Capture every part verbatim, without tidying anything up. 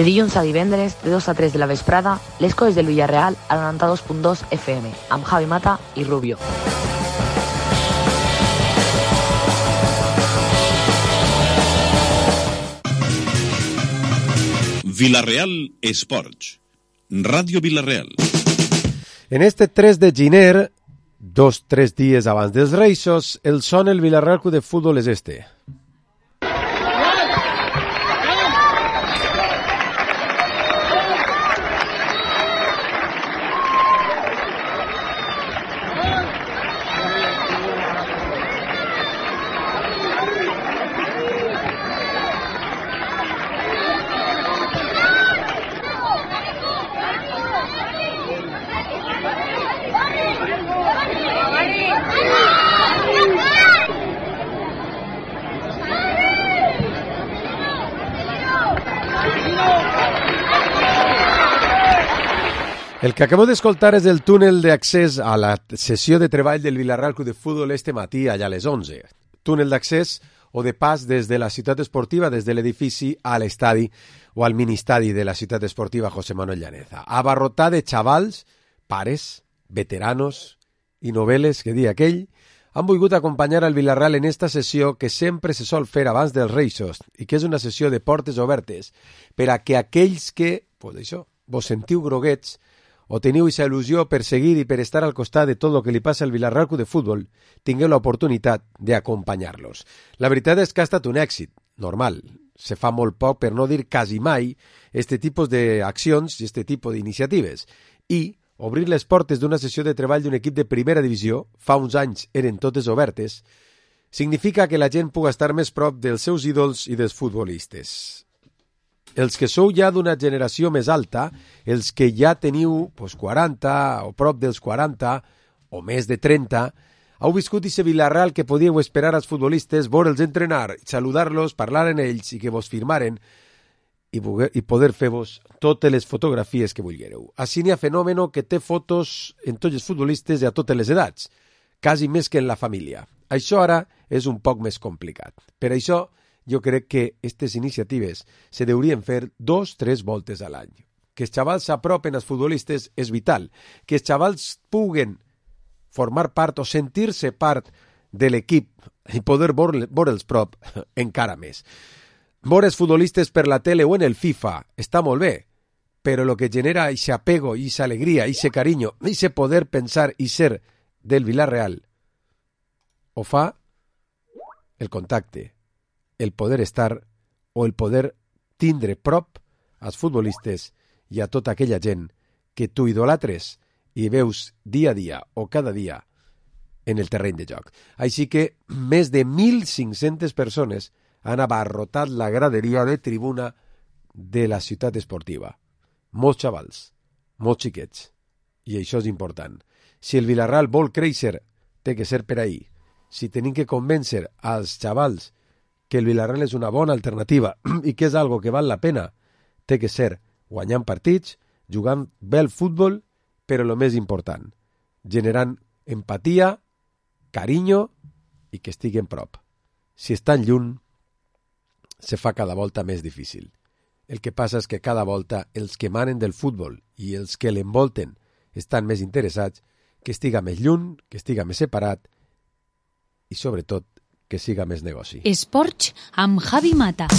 De dilluns a divendres, de dos a tres de la vesprada, les coses del Villarreal a noranta-dos punt dos F M, amb Javi Mata i Rubio. Villarreal Esports, Ràdio Villarreal. En este tres de gener, dos, tres dies abans dels Reixos, el son el Villarreal Club de Fútbol és este. El que acabo d'escoltar és el túnel d'accés a la sessió de treball del Villarreal Club de Fútbol este matí allà a les onze. Túnel d'accés o de pas des de la ciutat esportiva, des de l'edifici a l'estadi o al ministadi de la ciutat esportiva José Manuel Llaneza. Abarrotat de xavals, pares, veteranos i novel·les, que dia aquell, han volgut acompanyar al Villarreal en esta sessió que sempre se sol fer abans dels Reixos i que és una sessió de portes obertes per a que aquells que, pues això, vos sentiu groguets o teniu aquesta il·lusió per seguir i per estar al costat de tot el que li passa al Villarreal Club de Futbol, tingueu l'oportunitat d'acompanyar-los. La veritat és que ha estat un èxit, normal. Se fa molt poc, per no dir quasi mai, este tipus d'accions i este tipus d'iniciatives. I obrir les portes d'una sessió de treball d'un equip de primera divisió, fa uns anys eren totes obertes, significa que la gent pugui estar més prop dels seus ídols i dels futbolistes. Els que sou ja d'una generació més alta, els que ja teniu pues, quaranta o prop dels quaranta o més de trenta, heu viscut aquest Villarreal que podíeu esperar als futbolistes, veure'ls entrenar, saludar-los, parlar en ells i que vos firmaren i, i poder fer-vos totes les fotografies que vulguereu. Així n'hi ha fenomen que té fotos en tots els futbolistes i a totes les edats, quasi més que en la família. Això ara és un poc més complicat. Per això, jo crec que aquestes iniciatives se deurien fer dos, tres voltes a l'any. Que els xavals s'apropen als futbolistes és vital. Que els xavals puguen formar part o sentir-se part de l'equip i poder veure'ls prop encara més. Veure els futbolistes per la tele o en el FIFA està molt bé, però el que genera aquest apego, aquesta alegria, aquest carinyo, aquest poder pensar i ser del Villarreal ho fa el contacte, el poder estar o el poder tindre prop als futbolistes i a tota aquella gent que tu idolatres i veus dia a dia o cada dia en el terreny de joc. Així que més de mil cinc-centes persones han abarrotat la graderia de tribuna de la ciutat esportiva. Molts xavals, molts xiquets. I això és important. Si el Villarreal vol créixer, té que ser per ahí. Si tenim que convèncer als xavals que el Villarreal és una bona alternativa i que és algo que val la pena, té que ser guanyant partits, jugant bé al futbol, però el més important, generant empatia, carinyo i que estiguen prop. Si estan lluny, se fa cada volta més difícil. El que passa és que cada volta els que manen del futbol i els que l'envolten estan més interessats que estiga més lluny, que estiga més separat i, sobretot, que siga més negoci. Esports amb Javi Mata.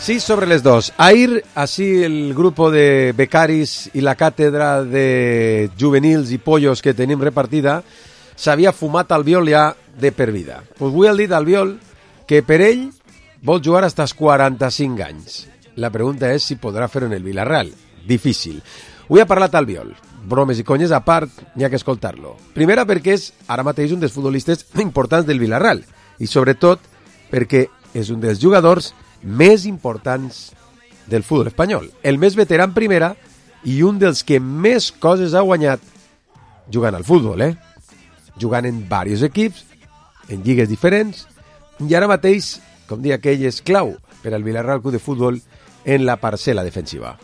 Sí, sobre les dos. Ahir, así el grupo de becaris i la càtedra de juvenils i pollos que tenim repartida s'havia fumat Albiol ja de per vida. Pues avui ha dit Albiol que per ell vol jugar fins als quaranta-cinc anys. La pregunta és si podrà fer en el Villarreal. Difícil. Avui ha parlat Albiol. bromes i conyes a part, n'hi ha que escoltar-lo. Primera perquè és ara mateix un dels futbolistes importants del Villarreal i sobretot perquè és un dels jugadors més importants del futbol espanyol. El més veterà en primera i un dels que més coses ha guanyat jugant al futbol, eh? Jugant en diversos equips, en lligues diferents, i ara mateix, com dia aquell, és clau per al Villarreal Club de Futbol en la parcel·la defensiva.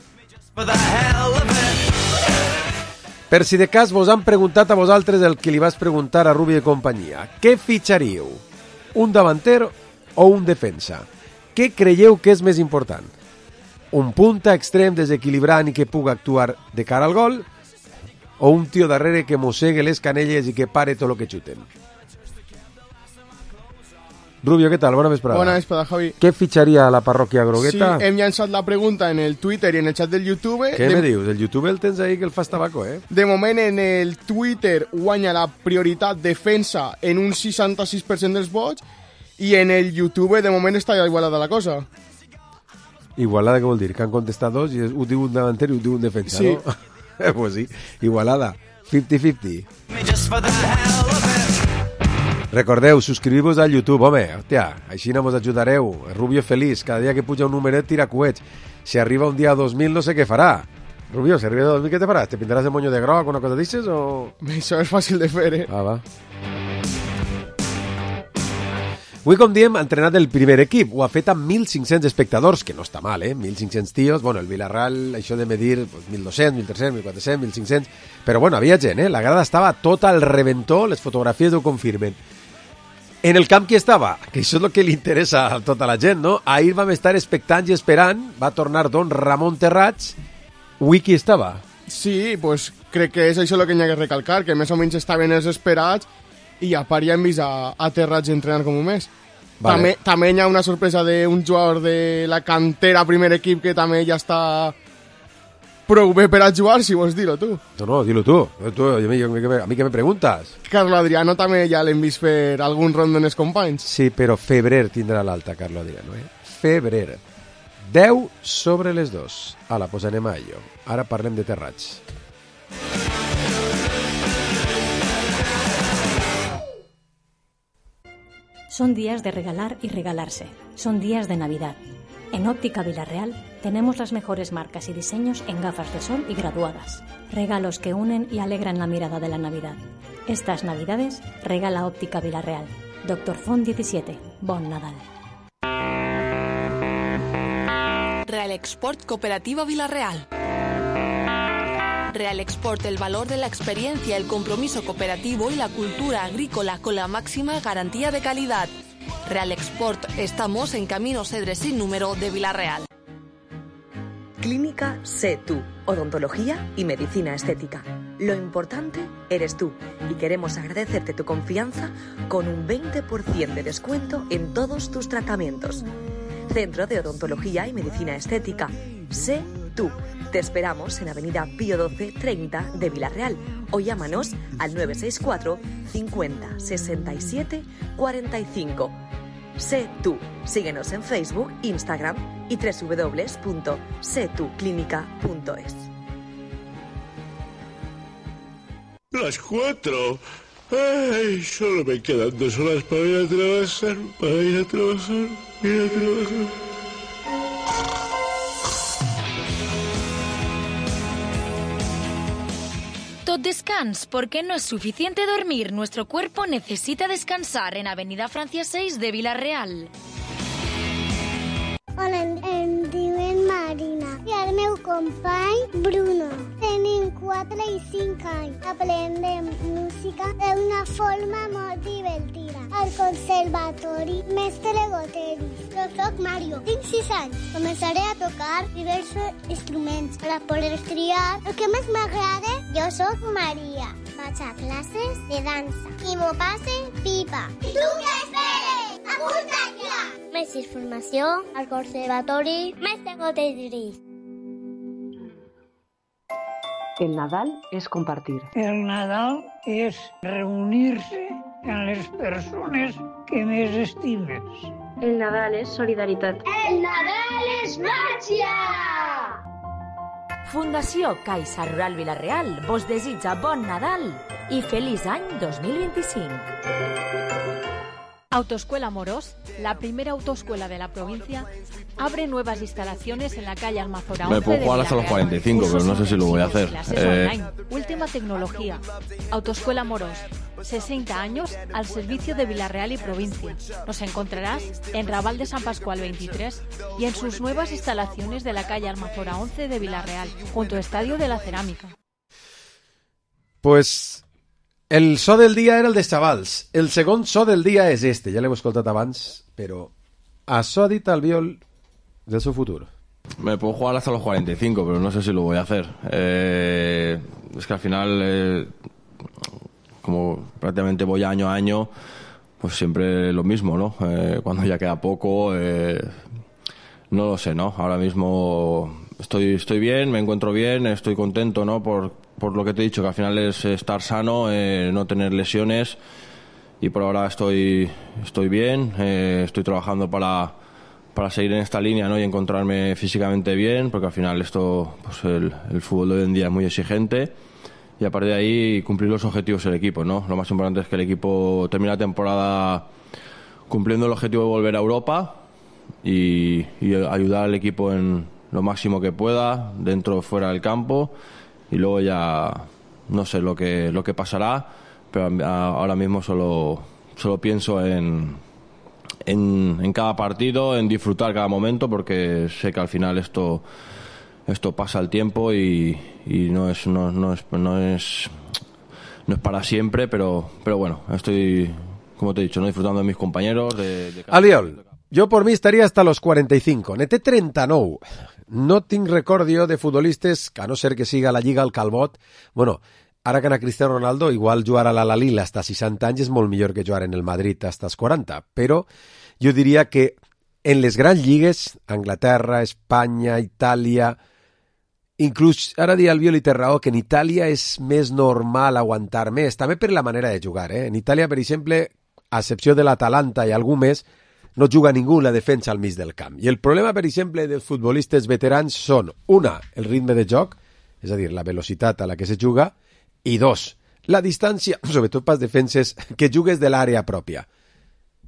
Per si de cas vos han preguntat a vosaltres el que li vas preguntar a Rubi de companyia. Què fitxaríeu? Un davanter o un defensa? Què creieu que és més important? Un punta extrem desequilibrant i que puga actuar de cara al gol? O un tio darrere que mossegue les canelles i que pare tot el que xuten? Rubio, què tal? Bona vesprada. Bona vesprada, Javi. Què fitxaria la parròquia grogueta? Sí, hem llançat la pregunta en el Twitter i en el xat del YouTube. Què de... me dius? El YouTube el tens ahí que el fas tabaco, eh? De moment, en el Twitter guanya la prioritat defensa en un seixanta-sis per cent dels vots i en el YouTube, de moment, està igualada la cosa. Igualada, què vol dir? Que han contestat dos i ho diu un davanter i ho diu un defensa, sí. No? Pues sí, igualada. cinquanta cinquanta. Recordeu, subscriviu-vos al YouTube, home, hòstia, així no mos ajudareu. Rubio feliç, cada dia que puja un numeret tira coets. Si arriba un dia a dos mil no sé què farà. Rubio, si arriba a dos mil què te faràs? Te pintaràs el moño de groc, una cosa d'aixes o...? Això és fàcil de fer, eh? Ah, va. Avui, com diem, ha entrenat el primer equip. Ho ha fet amb mil cinc-cents espectadors, que no està mal, eh? mil cinc-cents tios. Bueno, el Villarreal, això de medir pues, mil dos-cents, mil tres-cents, mil quatre-cents, mil cinc-cents... Però bueno, havia gent, eh? La grada estava tota al reventó, les fotografies ho confirmen. En el camp qui estava? Que això és el que li interessa a tota la gent, no? Ahir vam estar expectants i esperant, va tornar don Ramon Terrats. Avui qui estava? Sí, pues crec que és això el que hi ha que recalcar, que més o menys estaven els esperats i a part ja hem vist a, a Terrats entrenant com un mes. Vale. També, també hi ha una sorpresa d'un jugador de la cantera primer equip que també ja està prou bé per a jugar, si vols dir-ho tu. No, no, dilo tu. tu a, mi, a, mi, a mi què me preguntes? Carlo Adriano també ja l'hem vist fer algun rondo en els companys. Sí, però febrer tindrà l'alta, Carlo Adriano, eh? Febrer. deu sobre les dos. Ala, pues anem a ello. Ara parlem de Terrats. Son días de regalar y regalarse. Son días de Navidad. En Óptica Villarreal tenemos las mejores marcas y diseños en gafas de sol y graduadas. Regalos que unen y alegran la mirada de la Navidad. Estas Navidades regala Óptica Villarreal. Doctor Font diecisiete. Bon Nadal. Real Export Cooperativa Villarreal. Real Export, el valor de la experiencia, el compromiso cooperativo y la cultura agrícola con la máxima garantía de calidad. Real Export, estamos en Camino Cedres sin número de Villarreal. Clínica Sé Tú, odontología y medicina estética. Lo importante eres tú y queremos agradecerte tu confianza con un veinte por ciento de descuento en todos tus tratamientos. Centro de Odontología y Medicina Estética. Sé Tú. Te esperamos en Avenida Pío doce treinta de Villarreal o llámanos al nueve seis cuatro cincuenta sesenta y siete cuarenta y cinco. Sé Tú. Síguenos en Facebook, Instagram y doble u doble u doble u punto sé tú clínica punto es. Las cuatro. Ay, solo me quedan dos horas para ir a trabajar, para ir a trabajar, ir a trabajar. Tot descans, porque no es suficiente dormir. Nuestro cuerpo necesita descansar en Avenida Francia seis de Villarreal. Hola, em diuen Marina i el meu company Bruno. Tenim quatre i cinc anys. Aprendem música d'una forma molt divertida. Al conservatori Mestre Goteris. Jo soc Mario, tinc sis anys. Començaré a tocar diversos instruments per a poder triar el que més m'agrada. Jo soc Maria. Vaig a classes de dansa i m'ho passe pipa. I tu què esperes? Apunta't ja! Més informació al Conservatori Mestre Goteris. El Nadal es compartir. El Nadal és reunir-se amb les persones que més estimes. El Nadal és solidaritat. El Nadal és màgia! Fundació Caixa Rural Vila-real vos desitja bon Nadal y feliz año dos mil veinticinco. Autoescuela Morós, la primera autoescuela de la provincia, abre nuevas instalaciones en la calle Almazora once. Me puedo jugar hasta los cuarenta y cinco, pero no sé si lo voy a hacer. Clases Eh... online, última tecnología. Autoescuela Morós, sesenta años al servicio de Vila-real y provincia. Nos encontrarás en Raval de San Pascual veintitrés y en sus nuevas instalaciones de la calle Almazora once de Vila-real, junto al Estadio de la Cerámica. Pues el so del dia era el de xavals. El segon so del dia és este, ja l'hem escoltat abans, però això ha dit Albiol del seu futur. Me puedo jugar hasta los cuarenta y cinco, pero no sé si lo voy a hacer. Eh, es que al final, eh, como prácticamente voy año a año, pues siempre lo mismo, ¿no? Eh, cuando ya queda poco, eh, no lo sé, ¿no? Ahora mismo estoy, estoy bien, me encuentro bien, estoy contento, ¿no? Por, por lo que te he dicho, que al final es estar sano, eh, no tener lesiones, y por ahora estoy, estoy bien, eh, estoy trabajando para... para seguir en esta línea, ¿no? Y encontrarme físicamente bien, porque al final esto, pues el, el fútbol de hoy en día es muy exigente, y a partir de ahí cumplir los objetivos del equipo, ¿no? Lo más importante es que el equipo termine la temporada cumpliendo el objetivo de volver a Europa y, y ayudar al equipo en lo máximo que pueda, dentro o fuera del campo, y luego ya no sé lo que, lo que pasará, pero ahora mismo solo, solo pienso en En, en cada partido, en disfrutar cada momento, porque sé que al final esto esto pasa el tiempo y, y no es no, no es no es no es para siempre, pero pero bueno, estoy, como te he dicho, no disfrutando de mis compañeros, de, de cada... Albiol, jo por mi estaria hasta los cuarenta y cinco, n'he té trenta-nou. No tinc recordio de futbolistes, que a no ser que siga la Lliga al Calbot, bueno, ara que anar Cristiano Ronaldo, igual jugar a l'Al-Hilal hasta seixanta anys és molt millor que jugar en el Madrid hasta els quaranta, però jo diria que en les grans lligues, Anglaterra, Espanya, Itàlia, inclús ara dia Albiol i té raó, que en Itàlia és més normal aguantar més, també per la manera de jugar. Eh? En Itàlia, per exemple, a excepció de l'Atalanta i algú més, no juga ningú la defensa al mig del camp. I el problema, per exemple, dels futbolistes veterans són, una, el ritme de joc, és a dir, la velocitat a la que se juga, i dos, la distància, sobretot pels defenses, que jugues de l'àrea pròpia.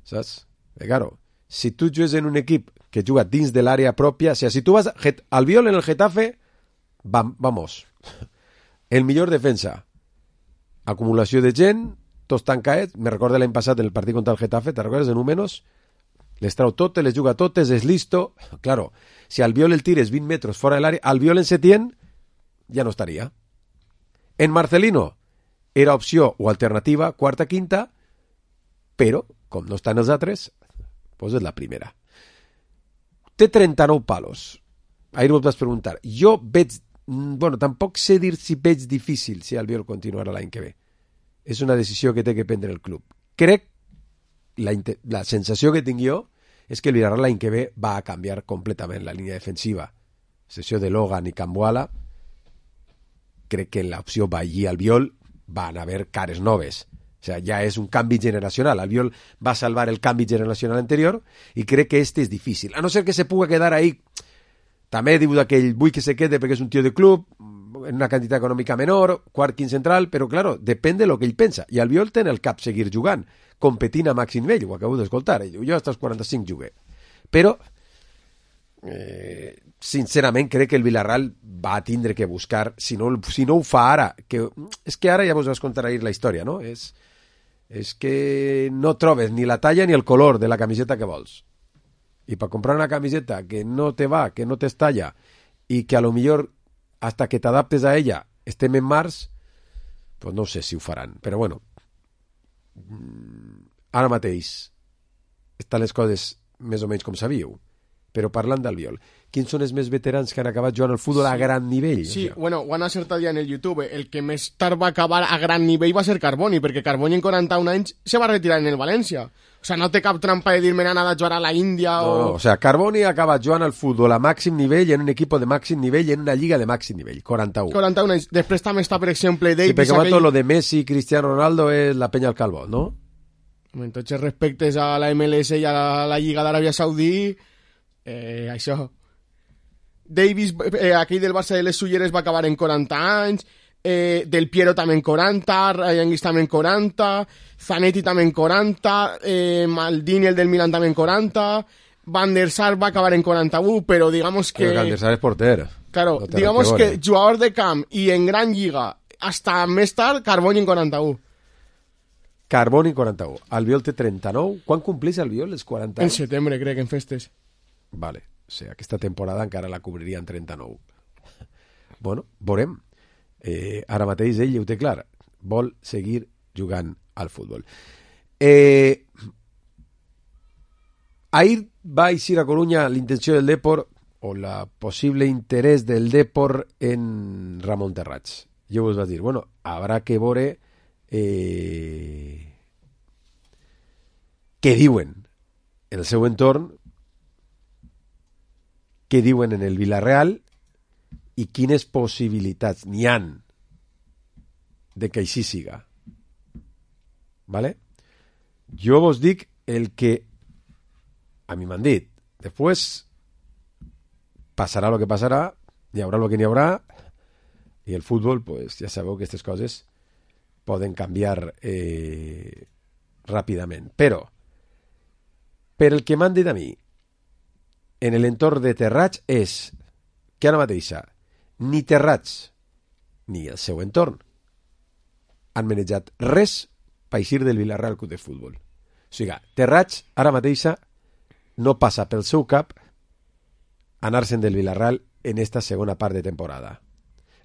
Saps? Eh, claro, si tu jugues en un equip que juga dins de l'àrea pròpia, o sigui, si tu vas al Albiol en el Getafe, vam, vamos, el millor defensa. Acumulació de gent, tots tancats, me recordo l'any passat en el partit contra el Getafe, te recordes de números? Les trau totes, les juga totes, és listo. Claro, si Albiol el tires vint metres fora de l'àrea, Albiol en Setién ja no estaria. En Marcelino era opció o alternativa, quarta, quinta, però, com no estan els altres, doncs és la primera. Té trenta-nou palos. Ahir ho vas preguntar. Jo veig, bueno, tampoc sé dir si veig difícil si Albiol continuarà l'any que ve. És una decisió que té que prendre el club. Crec, la, la sensació que tinc jo, és que el Villarreal l'any que ve va a canviar completament la línia defensiva. Sessió de Logan i Cambuala, crec que en l'opció Bailly-Albiol van haver cares noves. O sea, ja és un canvi generacional. Albiol va salvar el canvi generacional anterior i crec que este és difícil. A no ser que se puga quedar ahí, també diu que ell vull que se quede perquè és un tio de club, en una quantitat econòmica menor, quart, quint central, però claro, depèn de lo que ell pensa. I Albiol té en el cap seguir jugant, competint a màxim nivell, ho acabo d'escoltar. Jo hasta els quaranta-cinc jugué. Però eh, sincerament crec que el Villarreal va tindre que buscar, si no, si no ho fa ara, que, és que ara ja vos vas contar ahir la història, no? És, és que no trobes ni la talla ni el color de la camiseta que vols. I per comprar una camiseta que no te va, que no t'estalla, i que a lo millor hasta que t'adaptes a ella estem en març, pues no sé si ho faran. Però bueno, ara mateix estan les coses més o menys com sabíeu. Però parlant d'Albiol, quins són els més veterans que han acabat jugant al futbol sí. a gran nivell? Sí, o sea. bueno, ho han acertat ja en el YouTube. El que més tard va acabar a gran nivell va ser Carboni, perquè Carboni en quaranta-un anys se va retirar en el València. O sea, no té cap trampa de dir-me nada de jugar a la Índia o... No, no, o sea, Carboni ha acabat jugant al futbol a màxim nivell, en un equip de màxim nivell, en una lliga de màxim nivell, quaranta-un. quaranta-un anys. Després també està, per exemple, Davis... Sí, perquè aquell... tot lo de Messi i Cristiano Ronaldo és la penya al Calvo, ¿no? En tots els respectes a la M L S i a la, la Lliga d'Aràbia Saudí, eh, això... Davis, eh, aquell del Barça de les Sulleres va acabar en quaranta anys, eh, Del Piero també en quaranta, Ryan Giggs també en quaranta, Zanetti també en quaranta, eh, Maldini, el del Milan, també en quaranta, Van der Sar va acabar en quaranta-u, però digamos que... Pero Van der Sar es porter. Claro, no digamos que, que jugador de camp i en gran lliga, hasta més tard, Carboni en quaranta-u. Carboni en quaranta-u. Albiol té trenta-nou. Quan complís Albiol, els quaranta? En setembre, crec, en festes. Vale. O sigui, aquesta temporada encara la cobriria en trenta-nou. Bueno, veurem. Eh, ara mateix ell ho té clar. Vol seguir jugant al futbol. Eh, ahir va eixir a Coruña l'intenció del Depor o la possible interès del Depor en Ramon Terrats. Jo vos vaig dir, bueno, habrá que veure eh, què diuen en el seu entorn, què diuen en el Villarreal i quines possibilitats n'hi han de que així siga. ¿Vale? Jo vos dic el que a mi m'han dit. Después pasará lo que pasará, hi haurà lo que n'hi haurà, i el futbol, pues ja sabeu que aquestes coses poden canviar eh, ràpidament. Però, per el que m'han dit a mi, en l'entorn de Terrats és que ara mateixa ni Terrats ni el seu entorn han manejat res per eixir del Villarreal Club de Futbol. O sigui, Terrats ara mateixa no passa pel seu cap anar-se'n del Villarreal en esta segona part de temporada.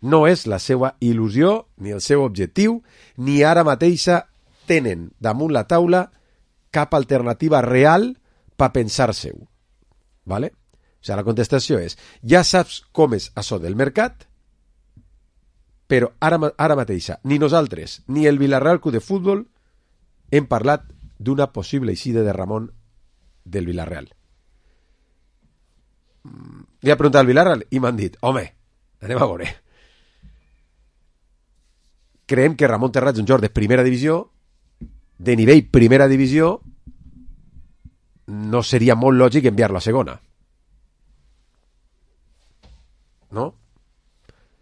No és la seva il·lusió ni el seu objectiu, ni ara mateixa tenen damunt la taula cap alternativa real per pensar-se-ho. ¿Vale? O sigui, la contestació és, ja saps com és això del mercat, però ara, ara mateixa ni nosaltres ni el Villarreal Club de Futbol hem parlat d'una possible eixida de Ramon del Villarreal. Li ha preguntat al Villarreal i m'han dit, home, anem a veure. Creiem que Ramon Terrats és un jugador de primera divisió, de nivell primera divisió, no seria molt lògic enviar-lo a segona. No?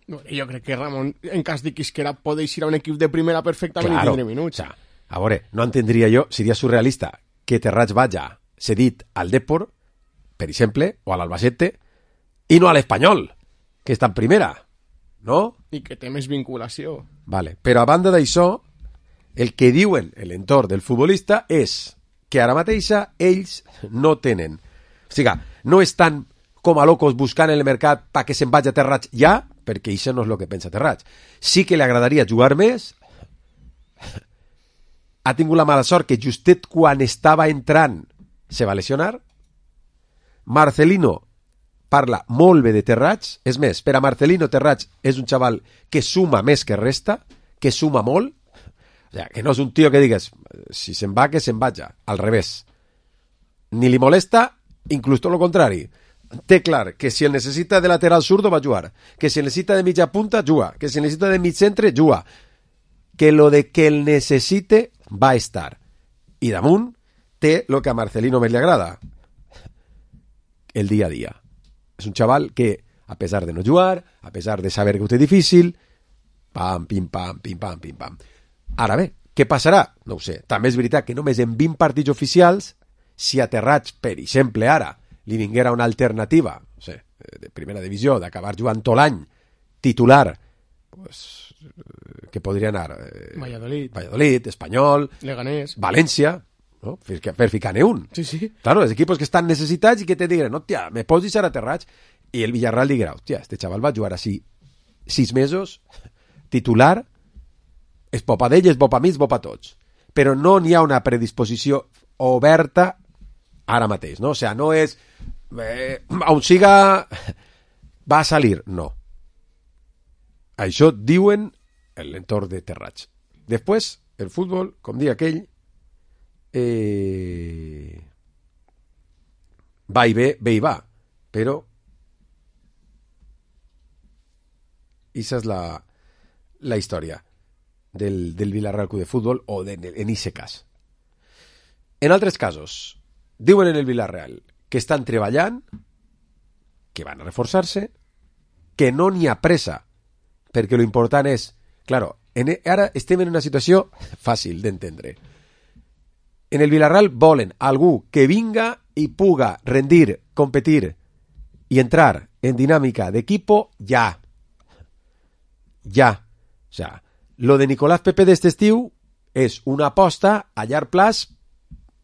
No, jo crec que Ramon, en cas de quisquera, pot eixir a un equip de primera perfectament claro, i tindre minuts. O sea, a veure, no entendria jo, seria surrealista, que Terrats vaya cedit al Depor, per exemple, o a l'Albacete, i no a l'Espanyol, que està en primera, no? I que té més vinculació. Vale, però a banda d'això, el que diuen l'entorn del futbolista és que ara mateixa ells no tenen. O sigui, no estan com a locos buscant en el mercat perquè se'n vagi a Terrats ja, perquè això no és el que pensa Terrats. Sí que li agradaria jugar més. Ha tingut la mala sort que justet quan estava entrant se va lesionar. Marcelino parla molt bé de Terrats. És més, per a Marcelino Terrats és un xaval que suma més que resta, que suma molt. O sea, que no és un tio que digues, si se'n va, que se'n vaja. Al revés. Ni li molesta, inclús tot el contrari. Té clar que si el necessita de lateral zurdo va jugar, que si el necessita de mitja punta, juga, que si el necessita de mig centre, juga. Que lo de que el necessite va estar. I damunt té lo que a Marcelino més li agrada. El dia a dia. És un xaval que, a pesar de no jugar, a pesar de saber que ho té difícil, pam, pim, pam, pim, pam, pim, pam. Ara bé, què passarà? No ho sé. També és veritat que només en vint partits oficials, si a Terrats, per exemple, ara, li vinguera una alternativa, no sé, de primera divisió, d'acabar jugant tot l'any, titular, pues, que podria anar eh, Valladolid, Valladolid, Espanyol, Leganés, València, ¿no? Per, per ficar-ne un. Sí, sí. Claro, els equipos que estan necessitats i que te diguen, hòstia, me pots deixar a Terrats? I el Villarreal dirà, hòstia, este xaval va jugar així sis mesos, titular, és bo pa d'ell, és bo pa mi, és bo pa tots. Però no n'hi ha una predisposició oberta ara mateix, no? O sigui, no és eh, on siga va a salir, no. Això diuen en l'entorn de Terrats. Després, el futbol, com diu aquell, eh, va i ve, ve i va, però esa és la, la història del, del Villarreal Club de Futbol o de, en ese cas. En altres casos, diuen en el Villarreal que estan treballant, que van a reforçar-se, que no n'hi ha pressa, perquè lo important és, claro, en, ara estem en una situació fàcil d'entendre. En el Villarreal volen algú que vinga i puga rendir, competir i entrar en dinàmica d'equipo ja. Ja. O sea, lo de Nicolás Pepe d'este estiu és una aposta a llarg plaç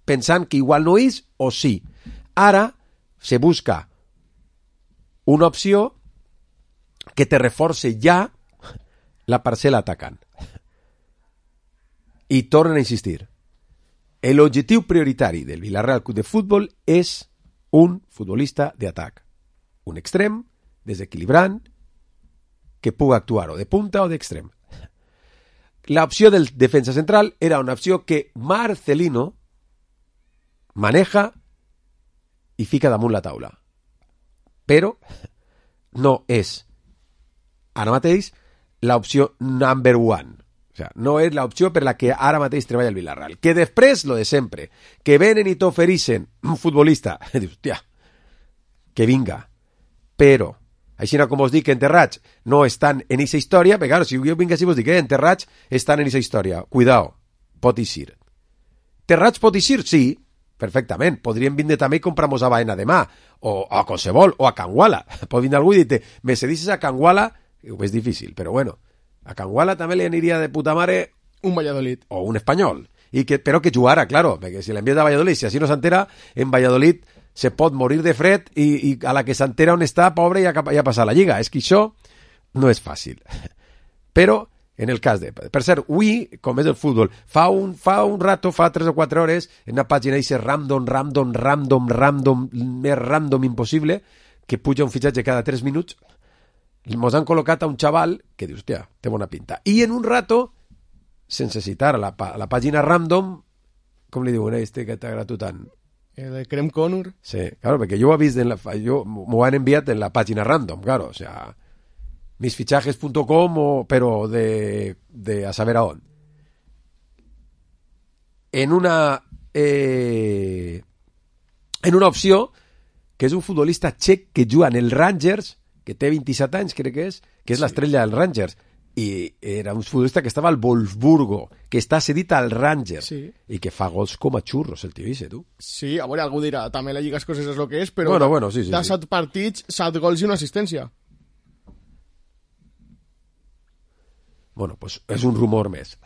pensant que igual no és o sí. Ara se busca una opció que te reforce ja la parcel·la atacant. I tornen a insistir. L'objectiu prioritari del Villarreal Club de Futbol és un futbolista d'atac. Un extrem, desequilibrant, que puga actuar o de punta o d'extrem. La opció del defensa central era una opció que Marcelino maneja i fica damunt la taula. Però no és ara mateix l'opció number one. O sea, no és l'opció per la que ara mateix treballa el Villarreal. Que després, lo de sempre, que venen i t'ofereixen un futbolista, dius, hòstia, que vinga. Però, així com us dic que Enterrats no estan en aquesta història, perquè claro, si jo vinc així vos dic que Enterrats estan en aquesta història. Cuidao, pot eixir. Terrats pot eixir? Sí, perfectament. Podríem vindre també i comprar-nos a Baena demà, o a qualsevol, o a Canguala. Pot vindre algú i dir-te, me cedisses a Canguala, és difícil, però bueno, a Canguala també li aniria de puta mare un Valladolid o un espanyol, i que, però que jugara, claro, perquè si l'envies a Valladolid, si així no s'entera, en Valladolid se pot morir de fred i, i a la que s'entera on està, pobre, ja, ja passa la lliga. És que això no és fàcil. Però, en el cas de... Per cert, avui, com és el futbol, fa un, fa un rato, fa tres o quatre hores, en una pàgina dice random, random, random, random, més random impossible, que puja un fitxatge cada tres minuts, mos han col·locat a un xaval que dius, hòstia, té bona pinta. I en un rato, sense citar a la, a la pàgina random, com li diuen, eh, este que t'ha agradat tant? El de Crem Connor. Sí, claro, perquè jo ho he vist, en la, jo m'ho han enviat en la pàgina random, claro, o sea, misfichajes punto com, o, però de, de a saber a on. En una eh, en una opció que és un futbolista txec que juga en el Rangers, que té vint-i-set anys, crec que és, que és sí. L'estrella del Rangers, i era un futbolista que estava al Wolfsburgo, que està cedit al Rangers, sí. I que fa gols com a xurros, el tio Isse, tu. Sí, a veure, algú dirà, també la Lliga Escocesa és el que és, però bueno, bueno, sí, sí, de sí. set partits, set gols i una assistència. Bueno, pues és un rumor més.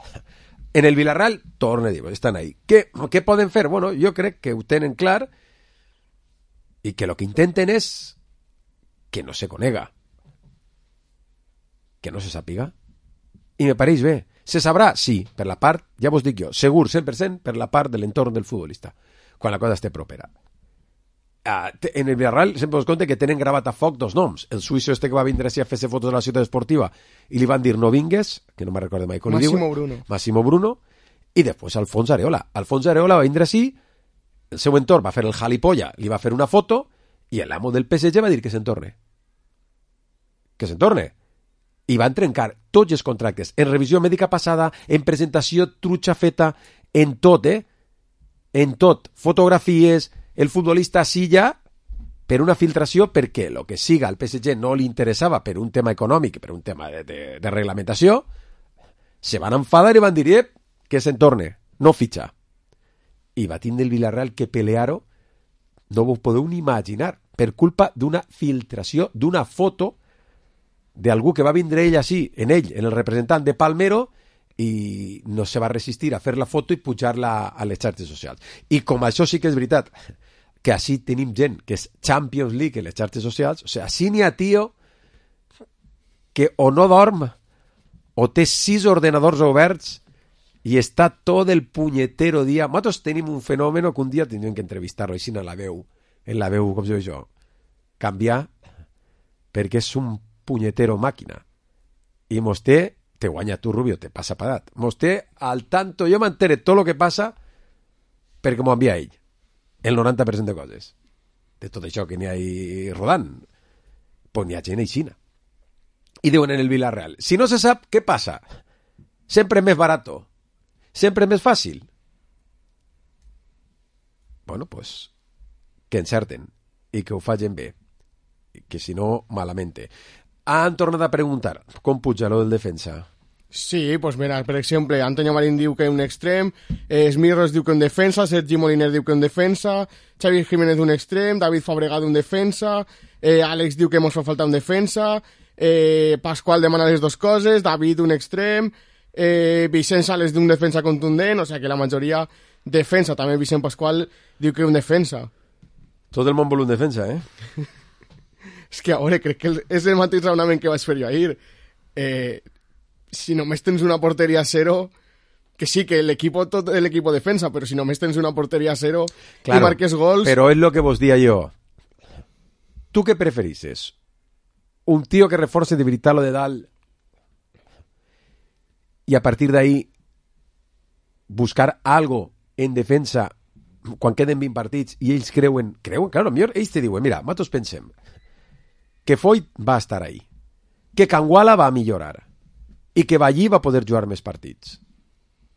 En el Villarreal, torna a dir, estan ahí. Què, què poden fer? Bueno, jo crec que ho tenen clar i que el que intenten és que no se conega, que no se sàpiga. I me pareix bé. Se sabrà? Sí, per la part, ja vos dic jo, segur, cent per cent per la part de l'entorn del futbolista, quan la cosa esté propera. Uh, en el Villarreal sempre us compte que tenen gravat a foc dos noms. El suïsso este que va vindre així a fer-se fotos de la ciutat esportiva i li van dir no vingues, que no me'n recordo mai com li diuen. Massimo Bruno. Massimo Bruno. I després Alfons Areola. Alfons Areola va vindre així, el seu entorn va fer el jalipolla, li va fer una foto i l'amo del P S G va dir que se'n torne. Que se'n torne. I van trencar tots els contractes, en revisió mèdica passada, en presentació trutxa feta, en tot, eh? En tot. Fotografies, el futbolista sí ja, per una filtració, perquè el que siga al P S G no li interessava per un tema econòmic, per un tema de, de, de reglamentació, se van enfadar i van dir, eh, que se'n torne, no fitxa. I va tindre el Villarreal que pelear-ho, no vos podeu ni imaginar, per culpa d'una filtració, d'una foto d'algú que va vindre ell així, en ell, en el representant de Palmero, i no se va resistir a fer la foto i pujar-la a les xarxes socials. I com això sí que és veritat, que així tenim gent que és Champions League en les xarxes socials, o sigui, així n'hi ha tio que o no dorm o té sis ordenadors oberts i està tot el punyetero dia. Nosaltres tenim un fenomen que un dia tindríem que entrevistar-lo així en la veu, en la veu, com se diu això, canviar, perquè és un punyetero màquina. I mos té, te guanya tu, Rubio, te passa parat. Mos té al tanto, jo m'entere tot el que passa perquè m'ho envia ell. El noranta per cent de coses. De tot això que n'hi ha ahí rodant. Pues n'hi ha gent aixina. I diuen en el Villarreal, si no se sap, què passa? Sempre més barato. Sempre més fàcil. Bueno, pues, que encerten i que ho facin bé. que si no, malamente. Han tornat a preguntar com puja lo del defensa. Sí, pues mira, per exemple, Antonio Marín diu que un extrem, eh, Smirros diu que un defensa, Sergi Moliner diu que un defensa, Xavi Jiménez un extrem, David Fabregat un defensa, eh, Àlex diu que mos fa falta un defensa, eh, Pasqual demana les dues coses, David un extrem, eh, Vicent Sales d'un defensa contundent, o sigui que la majoria defensa, també Vicent Pasqual diu que un defensa. Tot el món vol un defensa, eh? És que, a veure, crec que és el mateix raonament que vaig fer jo ahir. Eh... Si només tens una porteria a cero, que sí, que l'equip tot l'equip defensa, però si només tens una porteria a cero claro, i marques gols... Però és lo que vos dia jo. Tu què preferisses? Un tío que reforce de veritat lo de dalt i a partir d'ahí buscar algo en defensa quan queden vint partits i ells creuen... Creuen, claro, millor ells te diuen, mira, nosaltres pensem que Foyt va estar ahí, que Canguala va millorar i que Ballí va poder jugar més partits.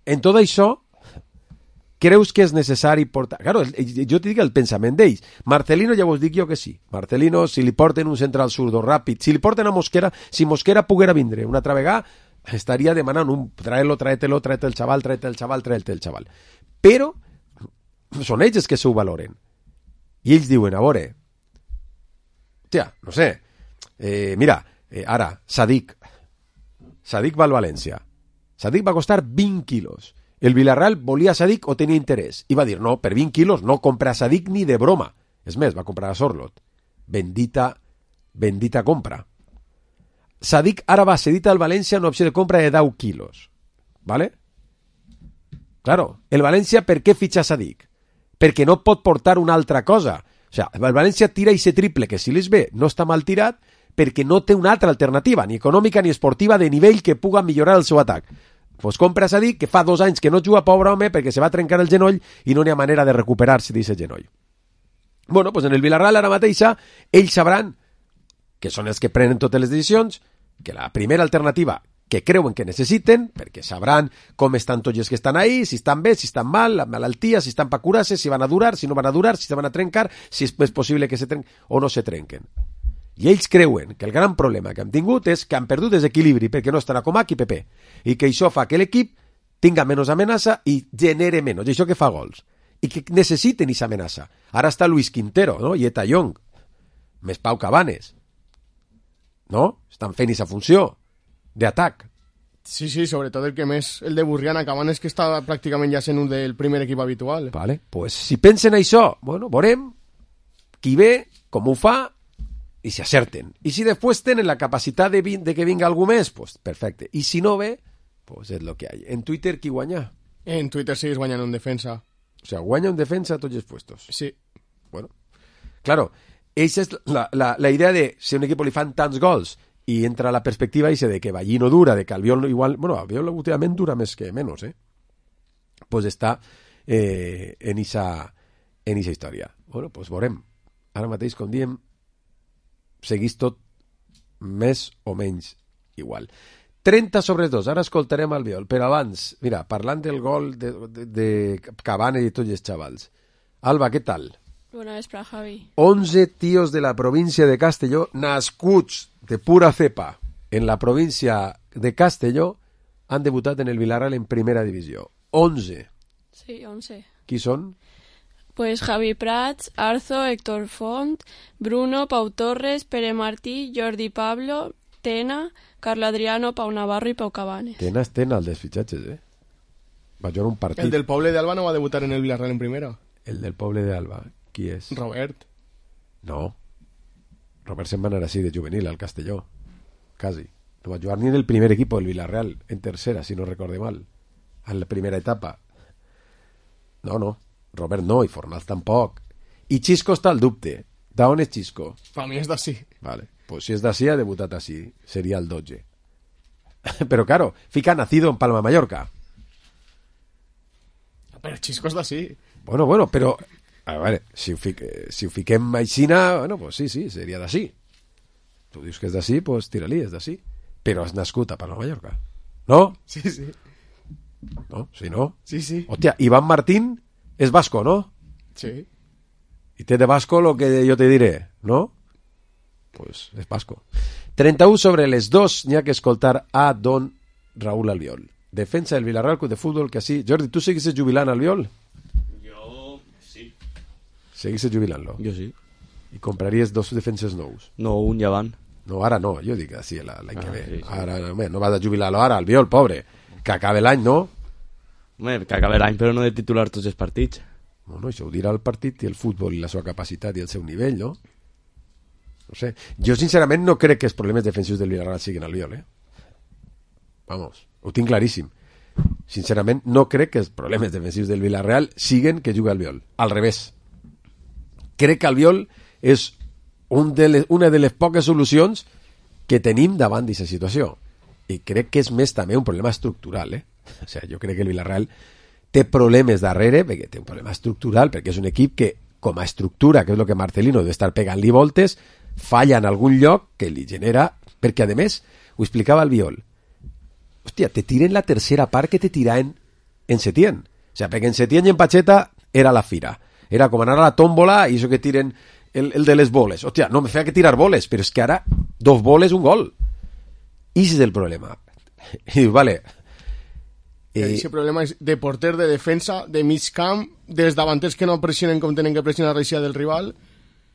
En tot això, creus que és necessari portar... Claro, jo te dic el pensament d'ells. Marcelino ja vos dic jo que sí. Marcelino, si li porten un central zurdo ràpid, si li porten a Mosquera, si Mosquera poguera vindre una altra vegada, estaria demanant un trae-lo, trae-te-lo, trae-te el xaval, trae-te el xaval, trae-te el xaval. Però són ells els que s'ho valoren. I ells diuen, a veure, tia, no sé, eh, mira, eh, ara, Sadik, Sadik va al València. Sadik va costar vint quilos. El Villarreal volia Sadik o tenia interès. I va dir, no, per vint quilos no compra Sadik ni de broma. És més, va comprar a Sorlot. Bendita, bendita compra. Sadik ara va cedit al València una opció de compra de deu quilos. ¿Vale? Claro, el València per què fitxa Sadik? Perquè no pot portar una altra cosa. O sigui, el València tira i se triple, que si les ve no està mal tirat, perquè no té una altra alternativa, ni econòmica ni esportiva de nivell que puga millorar el seu atac. Pues compra Sadik, que fa dos anys que no juga, pobre home, perquè se va trencar el genoll i no n'hi ha manera de recuperar-se d'aquest genoll. Bueno, pues en el Villarreal ara mateixa, ells sabran, que són els que prenen totes les decisions, que la primera alternativa que creuen que necessiten, perquè sabran com estan tots els que estan ahí, si estan bé, si estan mal, la malaltia, si estan pa curar-se, si van a durar, si no van a durar, si se van a trencar, si és possible que se trenquen o no se trenquen. I ells creuen que el gran problema que han tingut és que han perdut desequilibri perquè no estan a Comac i Pepe i que això fa que l'equip tinga menys amenaça i genere menys, i això que fa gols i que necessiten aquesta amenaça. Ara està Luis Quintero, no? I Eta Young, més Pau Cabanes, no? Estan fent aquesta funció d'atac. Sí, sí, sobretot el que més, el de Burriana, Cabanes, que està pràcticament ja sent un del primer equip habitual. Vale, pues si pensen això, bueno, veurem qui ve, com ho fa i si acerten. I si després tenen la capacitat de, de que vinga algú més, pues perfecte. I si no ve, pues és lo que hay. En Twitter, qui guanya? En Twitter sigues guanyant un defensa. O sea, guanya un defensa a tots els puestos. Sí. Bueno, claro, esa és la, la, la idea de si a un equip li fan tants gols i entra la perspectiva esa de que Ballí no dura, de que Albiol igual... Bueno, Albiol últimament dura més que menys, eh? Pues està eh, en esa en esa història. Bueno, pues veurem. Ara mateix, com diem, seguís tot més o menys igual. trenta sobre dos, ara escoltarem Albiol, però abans, mira, parlant del gol de, de, de Cavani i tots els xavals. Alba, què tal? Bona vespre, Javi. onze tíos de la província de Castelló, nascuts de pura cepa en la província de Castelló, han debutat en el Villarreal en primera divisió. onze. Sí, onze. Qui són? Pues Javi Prats, Arzo, Héctor Font, Bruno, Pau Torres, Pere Martí, Jordi Pablo, Tena, Carlo Adriano, Pau Navarro i Pau Cabanes. Tena és Tena, el dels fitxatges, eh? Va jugar un partit. El del Poble d'Alba no va debutar en el Villarreal en primera. El del Poble d'Alba, qui és? Robert. No. Robert se'n va anar així de juvenil al Castelló. Quasi. No va jugar ni en el primer equip del Villarreal, en tercera, si no recorde mal. En la primera etapa. No, no. Robert no, i Fornals tampoc. I Xisco està al dubte. D'on és Xisco? Per mi és d'ací. Vale. Pues si és d'ací, ha debutat així. Seria el dotze. Però, claro, fica nacido en Palma, Mallorca. Però Xisco és d'ací. Bueno, bueno, però... A veure, si ho, fique, si ho fiquem aixina, bueno, pues sí, sí, seria d'ací. Tu dius que és d'ací, pues tira-li, és d'ací. Però has nascut a Palma, Mallorca. No? Sí, sí. No? Si no? Sí, sí. Hòstia, Iván Martín és vasco, ¿no? Sí. Y té de vasco lo que yo te diré, ¿no? pues és basco. trenta-u sobre les dos n'hi ha que escoltar a don Raúl Albiol. Defensa del Villarreal Club de Fútbol, que así... Jordi, ¿tú seguís jubilant Albiol? Jo sí. Seguís jubilant-lo? Jo sí. I compraries dos defenses nous? No, un ja van. No, ara no, jo dic així l'any ah, que ve. Sí, sí. Ara no, no vas a jubilar-lo ara, Albiol, pobre. Que acabe l'any, no? Home, que acabe l'any, però no de titular tots els partits. Bueno, això ho dirà el partit i el futbol i la seva capacitat i el seu nivell, no? No sé. Jo, sincerament, no crec que els problemes defensius del Villarreal siguin Albiol, eh? Vamos, ho tinc claríssim. Sincerament, no crec que els problemes defensius del Villarreal siguen que jugui Albiol. Al revés. Crec que Albiol és un de les, una de les poques solucions que tenim davant d'aquesta situació. I crec que és més també un problema estructural, eh? O sigui, jo crec que el Villarreal té problemes darrere, perquè té un problema estructural, perquè és un equip que, com a estructura, que és el que Marcelino deu estar pegant-li voltes, falla en algun lloc que li genera... Perquè, a més, ho explicava Albiol, hòstia, te tiren la tercera part que te tiraven en Setién. O sea, perquè en Setién i en Pacheta era la fira. Era com anar a la tómbola i això que tiren el, el de les boles. Hòstia, no me feia que tirar boles, però és que ara dos boles, un gol. I ese és el problema. I vale... Eh... Ese problema és de porter, de defensa, de mig camp, dels davanters que no pressionen com tenen que pressionar l'eixida del rival.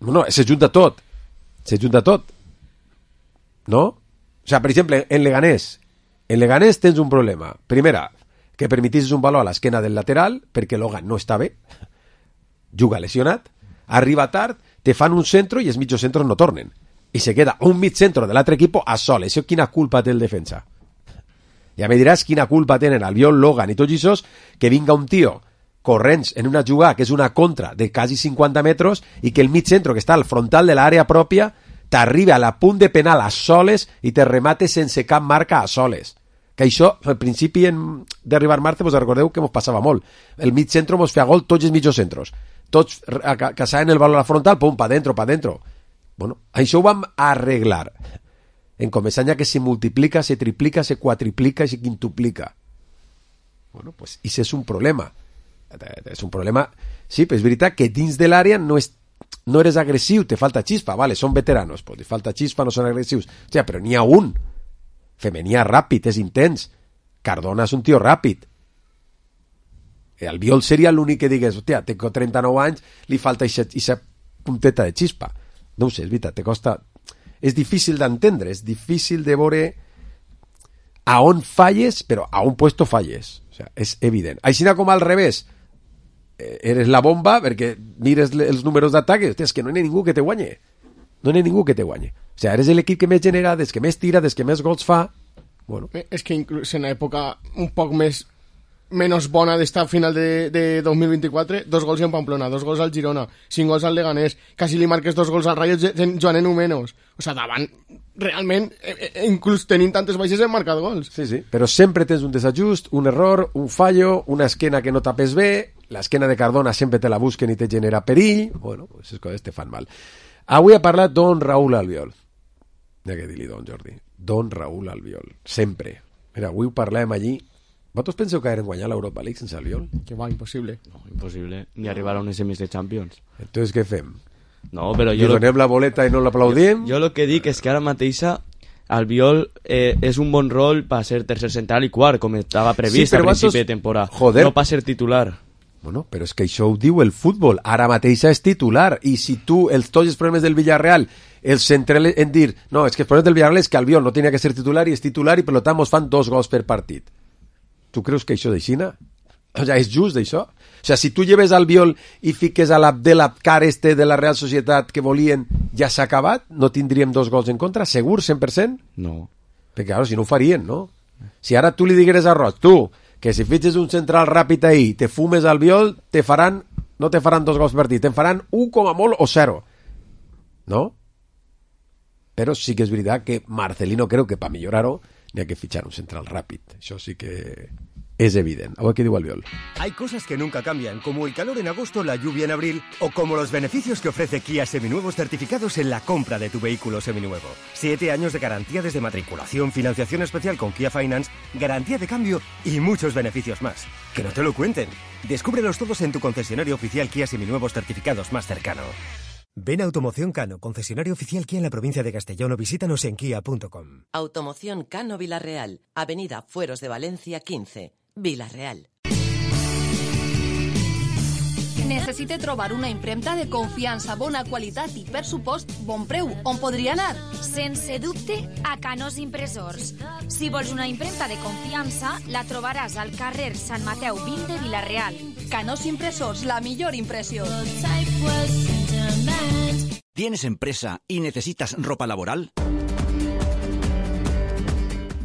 No, no, se junta tot. Se junta tot. No? O sea, per exemple, en Leganés, en Leganés tens un problema. Primera, que permetissis un valor a l'esquena del lateral, perquè Logan no està bé, juga lesionat, arriba tard, te fan un centro i els mitjos centros no tornen. I se queda un mig centro de l'altre equip a sol. Això quina culpa té el defensa? Ja me diràs quina culpa tenen Albiol, Logan i tots aquests que vinga un tio corrents en una jugada que és una contra de quasi cinquanta metres i que el mig centro que està al frontal de l'àrea pròpia t'arriba a la punt de penal a soles i te remate sense cap marca a soles. Que això, al principi en... d'arribar Marte, vos recordeu que mos passava molt. El mig centro mos feia gol tots els mitjos centros. Tots caçaven el valor a la frontal, pum, pa dentro, pa dentro. Bueno, això ho vam arreglar. En Comesaña que se multiplica, se triplica, se cuatriplica y se quintuplica. Bueno, pues ese es un problema. És un problema... Sí, però és veritat que dins de l'àrea no, és, no eres agressiu, te falta xispa, vale, són veteranos, pues te falta xispa, no són agressius. O sea, però n'hi ha un. Femení ràpid, és intens. Cardona és un tio ràpid. Albiol seria l'únic que digués, hòstia, té trenta-nou anys, li falta aquesta punteta de xispa. No ho sé, és veritat, te costa... És difícil d'entendre, és difícil de veure a on falles, però a un puesto falles. O sea, és evident. Així com al revés, eres la bomba perquè mires els números d'atac i és que no hi ha ningú que te guanye. No hi ha ningú que te guanye. O sea, eres l'equip que més genera, des que més tira, des que més gols fa. Bueno. És que inclús en època un poc més menos bona d'estar a final de, de dos mil vint-i-quatre, dos gols en Pamplona, dos gols al Girona, cinc gols al Leganés, quasi li marques dos gols al Rayo jugant en un menys. O sigui, davant, realment, eh, inclús tenint tantes baixes hem marcat gols. Sí, sí, però sempre tens un desajust, un error, un fallo, una esquena que no tapes bé, l'esquena de Cardona sempre te la busquen i te genera perill. Bueno, pues les coses te fan mal. Avui ha parlat don Raúl Albiol. Ja que dir-li don Jordi. Don Raúl Albiol. Sempre. Mira, avui ho parlàvem allí. ¿Vosotros penseu que eren guanyar l'Europa League sense Albiol? Que va, impossible. No, impossible. Ni arribar a unes semis de Champions. Entonces, què fem? No, però jo... Li donem lo... la boleta i no l'aplaudim? Jo el que dic és que ara mateixa Albiol eh, és un bon rol per ser tercer central i quart, com estava previst sí, al principi vosaltres... de temporada. Joder. No per ser titular. Bueno, però és que això ho diu el futbol. Ara mateixa és titular. I si tu, els, tots els problemes del Villarreal, el central en dir, no, és que els problemes del Villarreal és que Albiol no tenia que ser titular i és titular i per tant mos fan dos gols per partit. Tu creus que això d'aixina? O sigui, és just d'això? O sigui, si tu lleves Albiol i fiques a l'Abdelabkar este de la Real Societat que volien, ja s'ha acabat? No tindríem dos gols en contra? Segur, cent per cent? No. Perquè, claro, si no ho farien, no? Si ara tu li digueres a Roig, tu, que si fitxes un central ràpid ahí, te fumes Albiol, te faran, no te faran dos gols per partit, te faran un com a molt o zero. No? Però sí que és veritat que Marcelino creu que per millorar-ho n'hi ha que fitxar un central ràpid. Això sí que es evidente. A ver qué digo Albiol. Hay cosas que nunca cambian, como el calor en agosto, la lluvia en abril, o como los beneficios que ofrece Kia Seminuevos certificados en la compra de tu vehículo seminuevo. Siete años de garantía desde matriculación, financiación especial con Kia Finance, garantía de cambio y muchos beneficios más. Que no te lo cuenten. Descúbrelos todos en tu concesionario oficial Kia Seminuevos certificados más cercano. Ven a Automoción Cano, concesionario oficial Kia en la provincia de Castellón, o visítanos en kia punto com. Automoción Cano Vilarreal, Avenida Fueros de Valencia quinze, Vilarreal. Necessite trobar una impremta de confiança, bona qualitat i, per supost, bon preu. On podria anar? Sense dubte, a Canós Impressors. Si vols una impremta de confiança, la trobaràs al carrer Sant Mateu vint de Vilarreal. Canós Impressors, la millor impressió. ¿Tienes empresa y necesitas ropa laboral?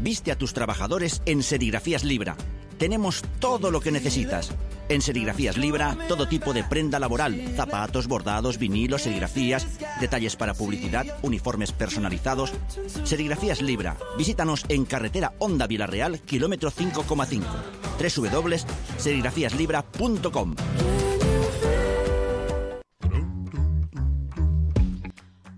Viste a tus trabajadores en Serigrafías Libra. Tenemos todo lo que necesitas. En Serigrafías Libra, todo tipo de prenda laboral, zapatos, bordados, vinilos, serigrafías, detalles para publicidad, uniformes personalizados. Serigrafías Libra. Visítanos en carretera Honda Vilarreal, kilómetro cinco coma cinco. doble u doble u doble u punto serigrafías libra punto com.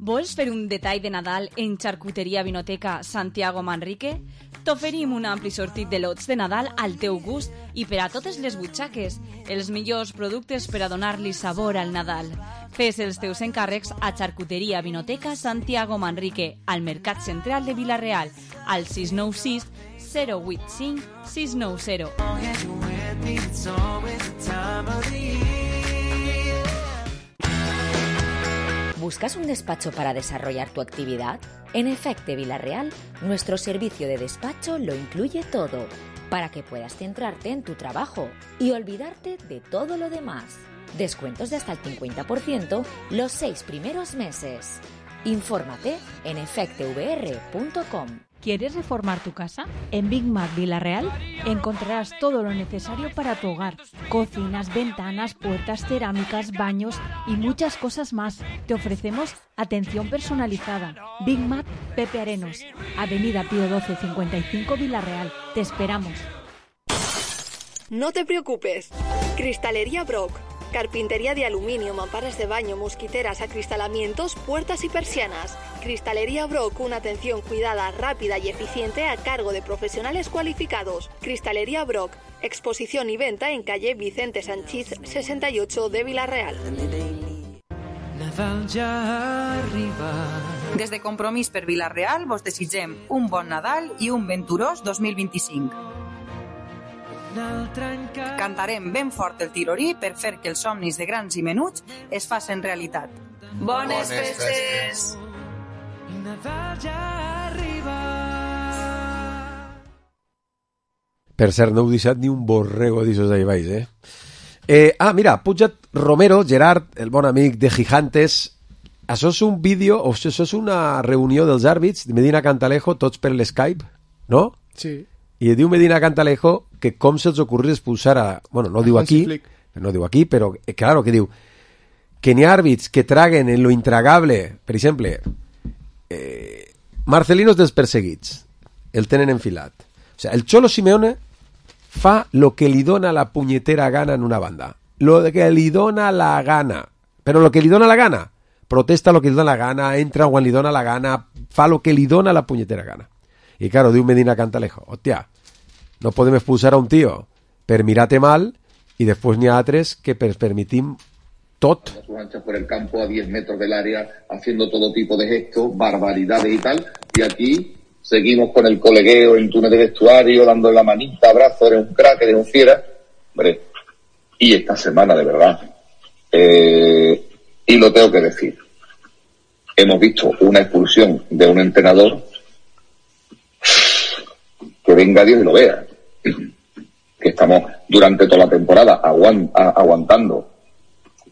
Vols fer un detall de Nadal en Xarcuteria Vinoteca Santiago Manrique? T'oferim un ampli sortit de lots de Nadal al teu gust i per a totes les butxaques, els millors productes per a donar-li sabor al Nadal. Fes els teus encàrrecs a Xarcuteria Vinoteca Santiago Manrique, al Mercat Central de Vilarreal, al sis nou sis zero vuit cinc sis nou zero. ¿Buscas un despacho para desarrollar tu actividad? En Efecte Vilarreal, nuestro servicio de despacho lo incluye todo, para que puedas centrarte en tu trabajo y olvidarte de todo lo demás. Descuentos de hasta el cincuenta por ciento los seis primeros meses. Infórmate en efecte v r punto com. ¿Quieres reformar tu casa? En Big Mac Vilarreal encontrarás todo lo necesario para tu hogar. Cocinas, ventanas, puertas, cerámicas, baños y muchas cosas más. Te ofrecemos atención personalizada. Big Mac Pepe Arenos, Avenida Pío doce cincuenta y cinco Vilarreal. Te esperamos. No te preocupes. Cristalería Brock. Carpintería de aluminio, mamparas de baño, mosquiteras, acristalamientos, puertas y persianas. Cristalería Brock, una atención cuidada, rápida y eficiente a cargo de profesionales cualificados. Cristalería Brock, exposición y venta en calle Vicente Sanchís sesenta y ocho de Vilarreal. Nadal ja arriba. Des de Compromís per Vilarreal vos desitgem un bon Nadal i un venturós dos mil vint-i-cinc. Cantarem ben fort el tirorí per fer que els somnis de grans i menuts es facin realitat. Bones festes! Per cert, no heu deixat ni un borrego d'aixòs d'ahí baix, eh? eh? Ah, mira, pujat Romero, Gerard, el bon amic de Gigantes. Això és un vídeo, o això és una reunió dels àrbits de Medina Cantalejo, tots per l'Skype, no? Sí. I diu Medina Cantalejo que com se'ls ocorria expulsar a... Bueno, no ho diu aquí, no ho diu aquí, però eh, claro que diu que n'hi ha àrbits que traguen en lo intragable. Per exemple, eh, Marcelinos dels perseguits, el tenen enfilat. O sea, el Cholo Simeone fa lo que li dona la punyetera gana en una banda. Lo que li dona la gana. Però lo que li dona la gana, protesta lo que li dona la gana, entra quan li dona la gana, fa lo que li dona la punyetera gana. I claro, diu Medina Cantalejo, hòstia, no podem expulsar a un tío per mirarte mal y después ni a altres que per permitim tot. Por el campo a diez metros del área, haciendo todo tipo de gestos, barbaridades y tal, y aquí seguimos con el colegueo en túnel de vestuario, dándole la manita, abrazo, eres un crack, eres un fiera. Hombre, y esta semana, de verdad, eh, y lo tengo que decir, hemos visto una expulsión de un entrenador que venga Dios y lo vea, que estamos durante toda la temporada aguant, a, aguantando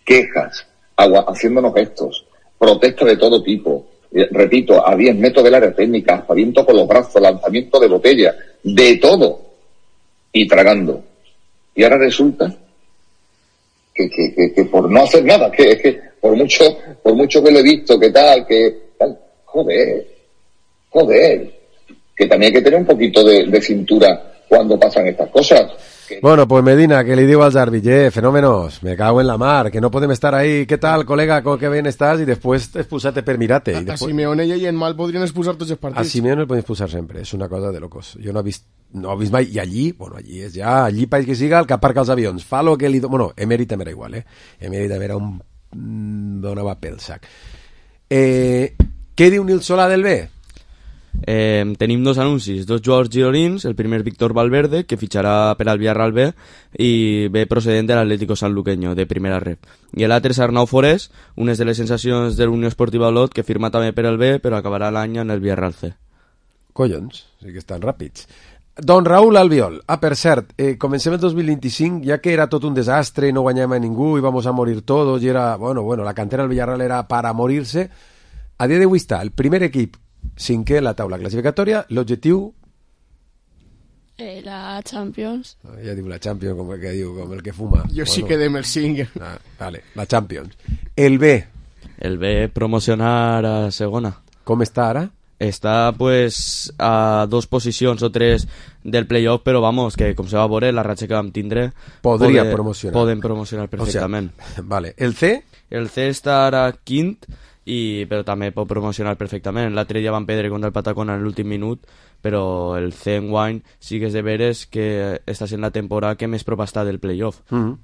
quejas, agua, haciéndonos gestos, protestas de todo tipo, eh, repito, a diez metros del área técnica, aspaviento con los brazos, lanzamiento de botella, de todo, y tragando. Y ahora resulta que, que, que, que por no hacer nada, que es que por mucho, por mucho que lo he visto, que tal, que tal, joder, joder, que también hay que tener un poquito de, de cintura cuando pasan estas cosas. Que... Bueno, pues Medina, que le digo als àrbits, eh, fenómenos, me cago en la mar, que no podem estar ahí, ¿qué tal, colega, con qué bien estás? Y después expulsate per mirate. A, y después... a Simeone i en mal podrien expulsar tots els partits. A Simeone el podem expulsar sempre, és una cosa de locos. Jo no he vist, no he vist mai, i allí, bueno, allí és ja, allí país que siga, el que aparca els avions, fa lo que li... Do... Bueno, Emery també era igual, eh? Emery també era un donava pel sac. Eh, què diu Nil Solà del B? Eh, tenim dos anuncis, dos jugadors gironins, el primer Víctor Valverde, que fitxarà per al Villarreal B, i ve procedent de l'Atlético Sanluqueño, de primera rep. I l'altre és Arnau Forés, unes de les sensacions de l'Unió Esportiva Olot, que firma també per al B, però acabarà l'any en el Villarreal C. Collons, sí que estan ràpids. Don Raúl Albiol. Ah, per cert, eh, comencem el dos mil vint-i-cinc, ja que era tot un desastre, no guanyàvem a ningú, íbamos a morir todos, i era, bueno, bueno, la cantera del Villarreal era para morirse. A dia d'avui està el primer equip cinquè en la taula classificatòria, l'objectiu... Eh, la Champions. Ja diu la Champions, com el que diu, com el que fuma. Jo bueno, sí que dem el cinc. Ah, vale, la Champions. El B. El B promocionar a segona. Com està ara? Està pues a dos posicions o tres del playoff, però vamos, que com se va veure, la ratxa que vam tindre podria pode, promocionar. Poden promocionar perfectament. O sea, vale. El C? El C està ara quint, i, però també pot promocionar perfectament. L'altre dia van perdre contra el Patacona en l'últim minut, però el C enguany sí que és de veres que està sent la temporada que més prop està del playoff. Mm-hmm.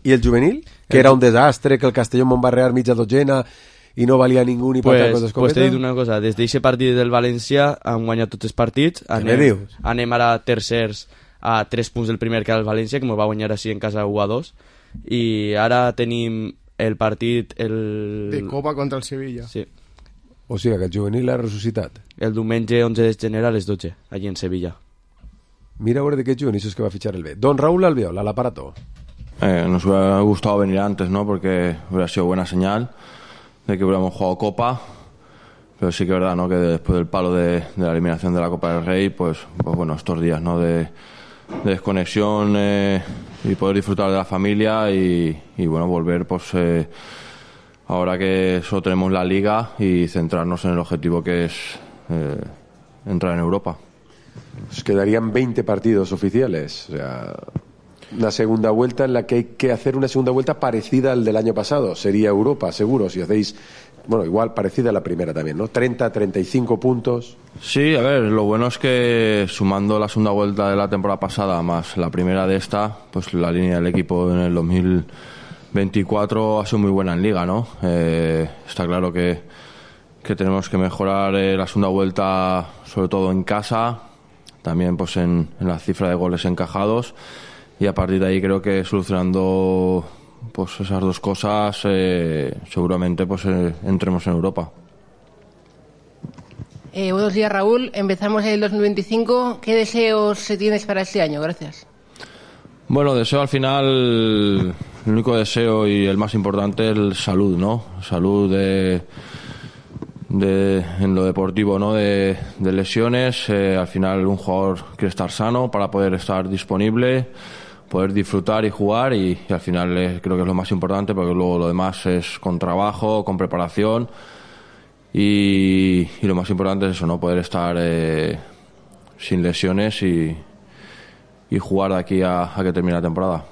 I el juvenil? Que el... era un desastre, que el Castelló en va barrear mitja dotzena i no valia ningú ni pues, patar pues t'he dit una cosa, des d'aquest partit del València han guanyat tots els partits, anem, anem ara tercers a tres punts del primer que era el València, que ens va guanyar així en casa u a dos, i ara tenim el partit el... de Copa contra el Sevilla. Sí. O sigui que el juvenil l'ha ressuscitat. El diumenge onze de gener a les dotze, allí en Sevilla. Mira a veure de qué juvenil és que va a fichar el B. Don Raúl Albiol, al aparato. Eh, nos hubiera gustado venir antes, ¿no? Porque hubiera sido buena señal de que hubiéramos jugado Copa, pero sí que es verdad, ¿no? Que después del palo de, de la eliminación de la Copa del Rey, pues, pues bueno, estos días, ¿no? De, de desconexión eh, y poder disfrutar de la familia y, y bueno, volver, pues eh, ahora que solo tenemos la Liga y centrarnos en el objetivo que es eh, entrar en Europa. Pues quedarían veinte partidos oficiales, o sea, una segunda vuelta en la que hay que hacer una segunda vuelta parecida al del año pasado. Sería Europa, seguro, si hacéis, bueno, igual parecida a la primera también, ¿no? treinta, treinta y cinco puntos. Sí, a ver, lo bueno es que sumando la segunda vuelta de la temporada pasada más la primera de esta, pues la línea del equipo en el dos mil veinticuatro ha sido muy buena en Liga, ¿no? Eh, está claro que, que tenemos que mejorar eh, la segunda vuelta, sobre todo en casa, también pues en, en la cifra de goles encajados. Y a partir de ahí creo que solucionando pues esas dos cosas eh, seguramente pues eh, entremos en Europa. Eh, buenos días, Raúl. Empezamos el dos mil veinticinco. ¿Qué deseos tienes para este año? Gracias. Bueno, deseo al final, el único deseo y el más importante es salud, ¿no? Salud de, de en lo deportivo, ¿no? De, de lesiones. Eh, al final un jugador quiere estar sano para poder estar disponible, poder disfrutar y jugar y, y al final eh, creo que es lo más importante porque luego lo demás es con trabajo, con preparación y, y lo más importante es eso, ¿no? Poder estar eh, sin lesiones y, y jugar de aquí a, a que termine la temporada.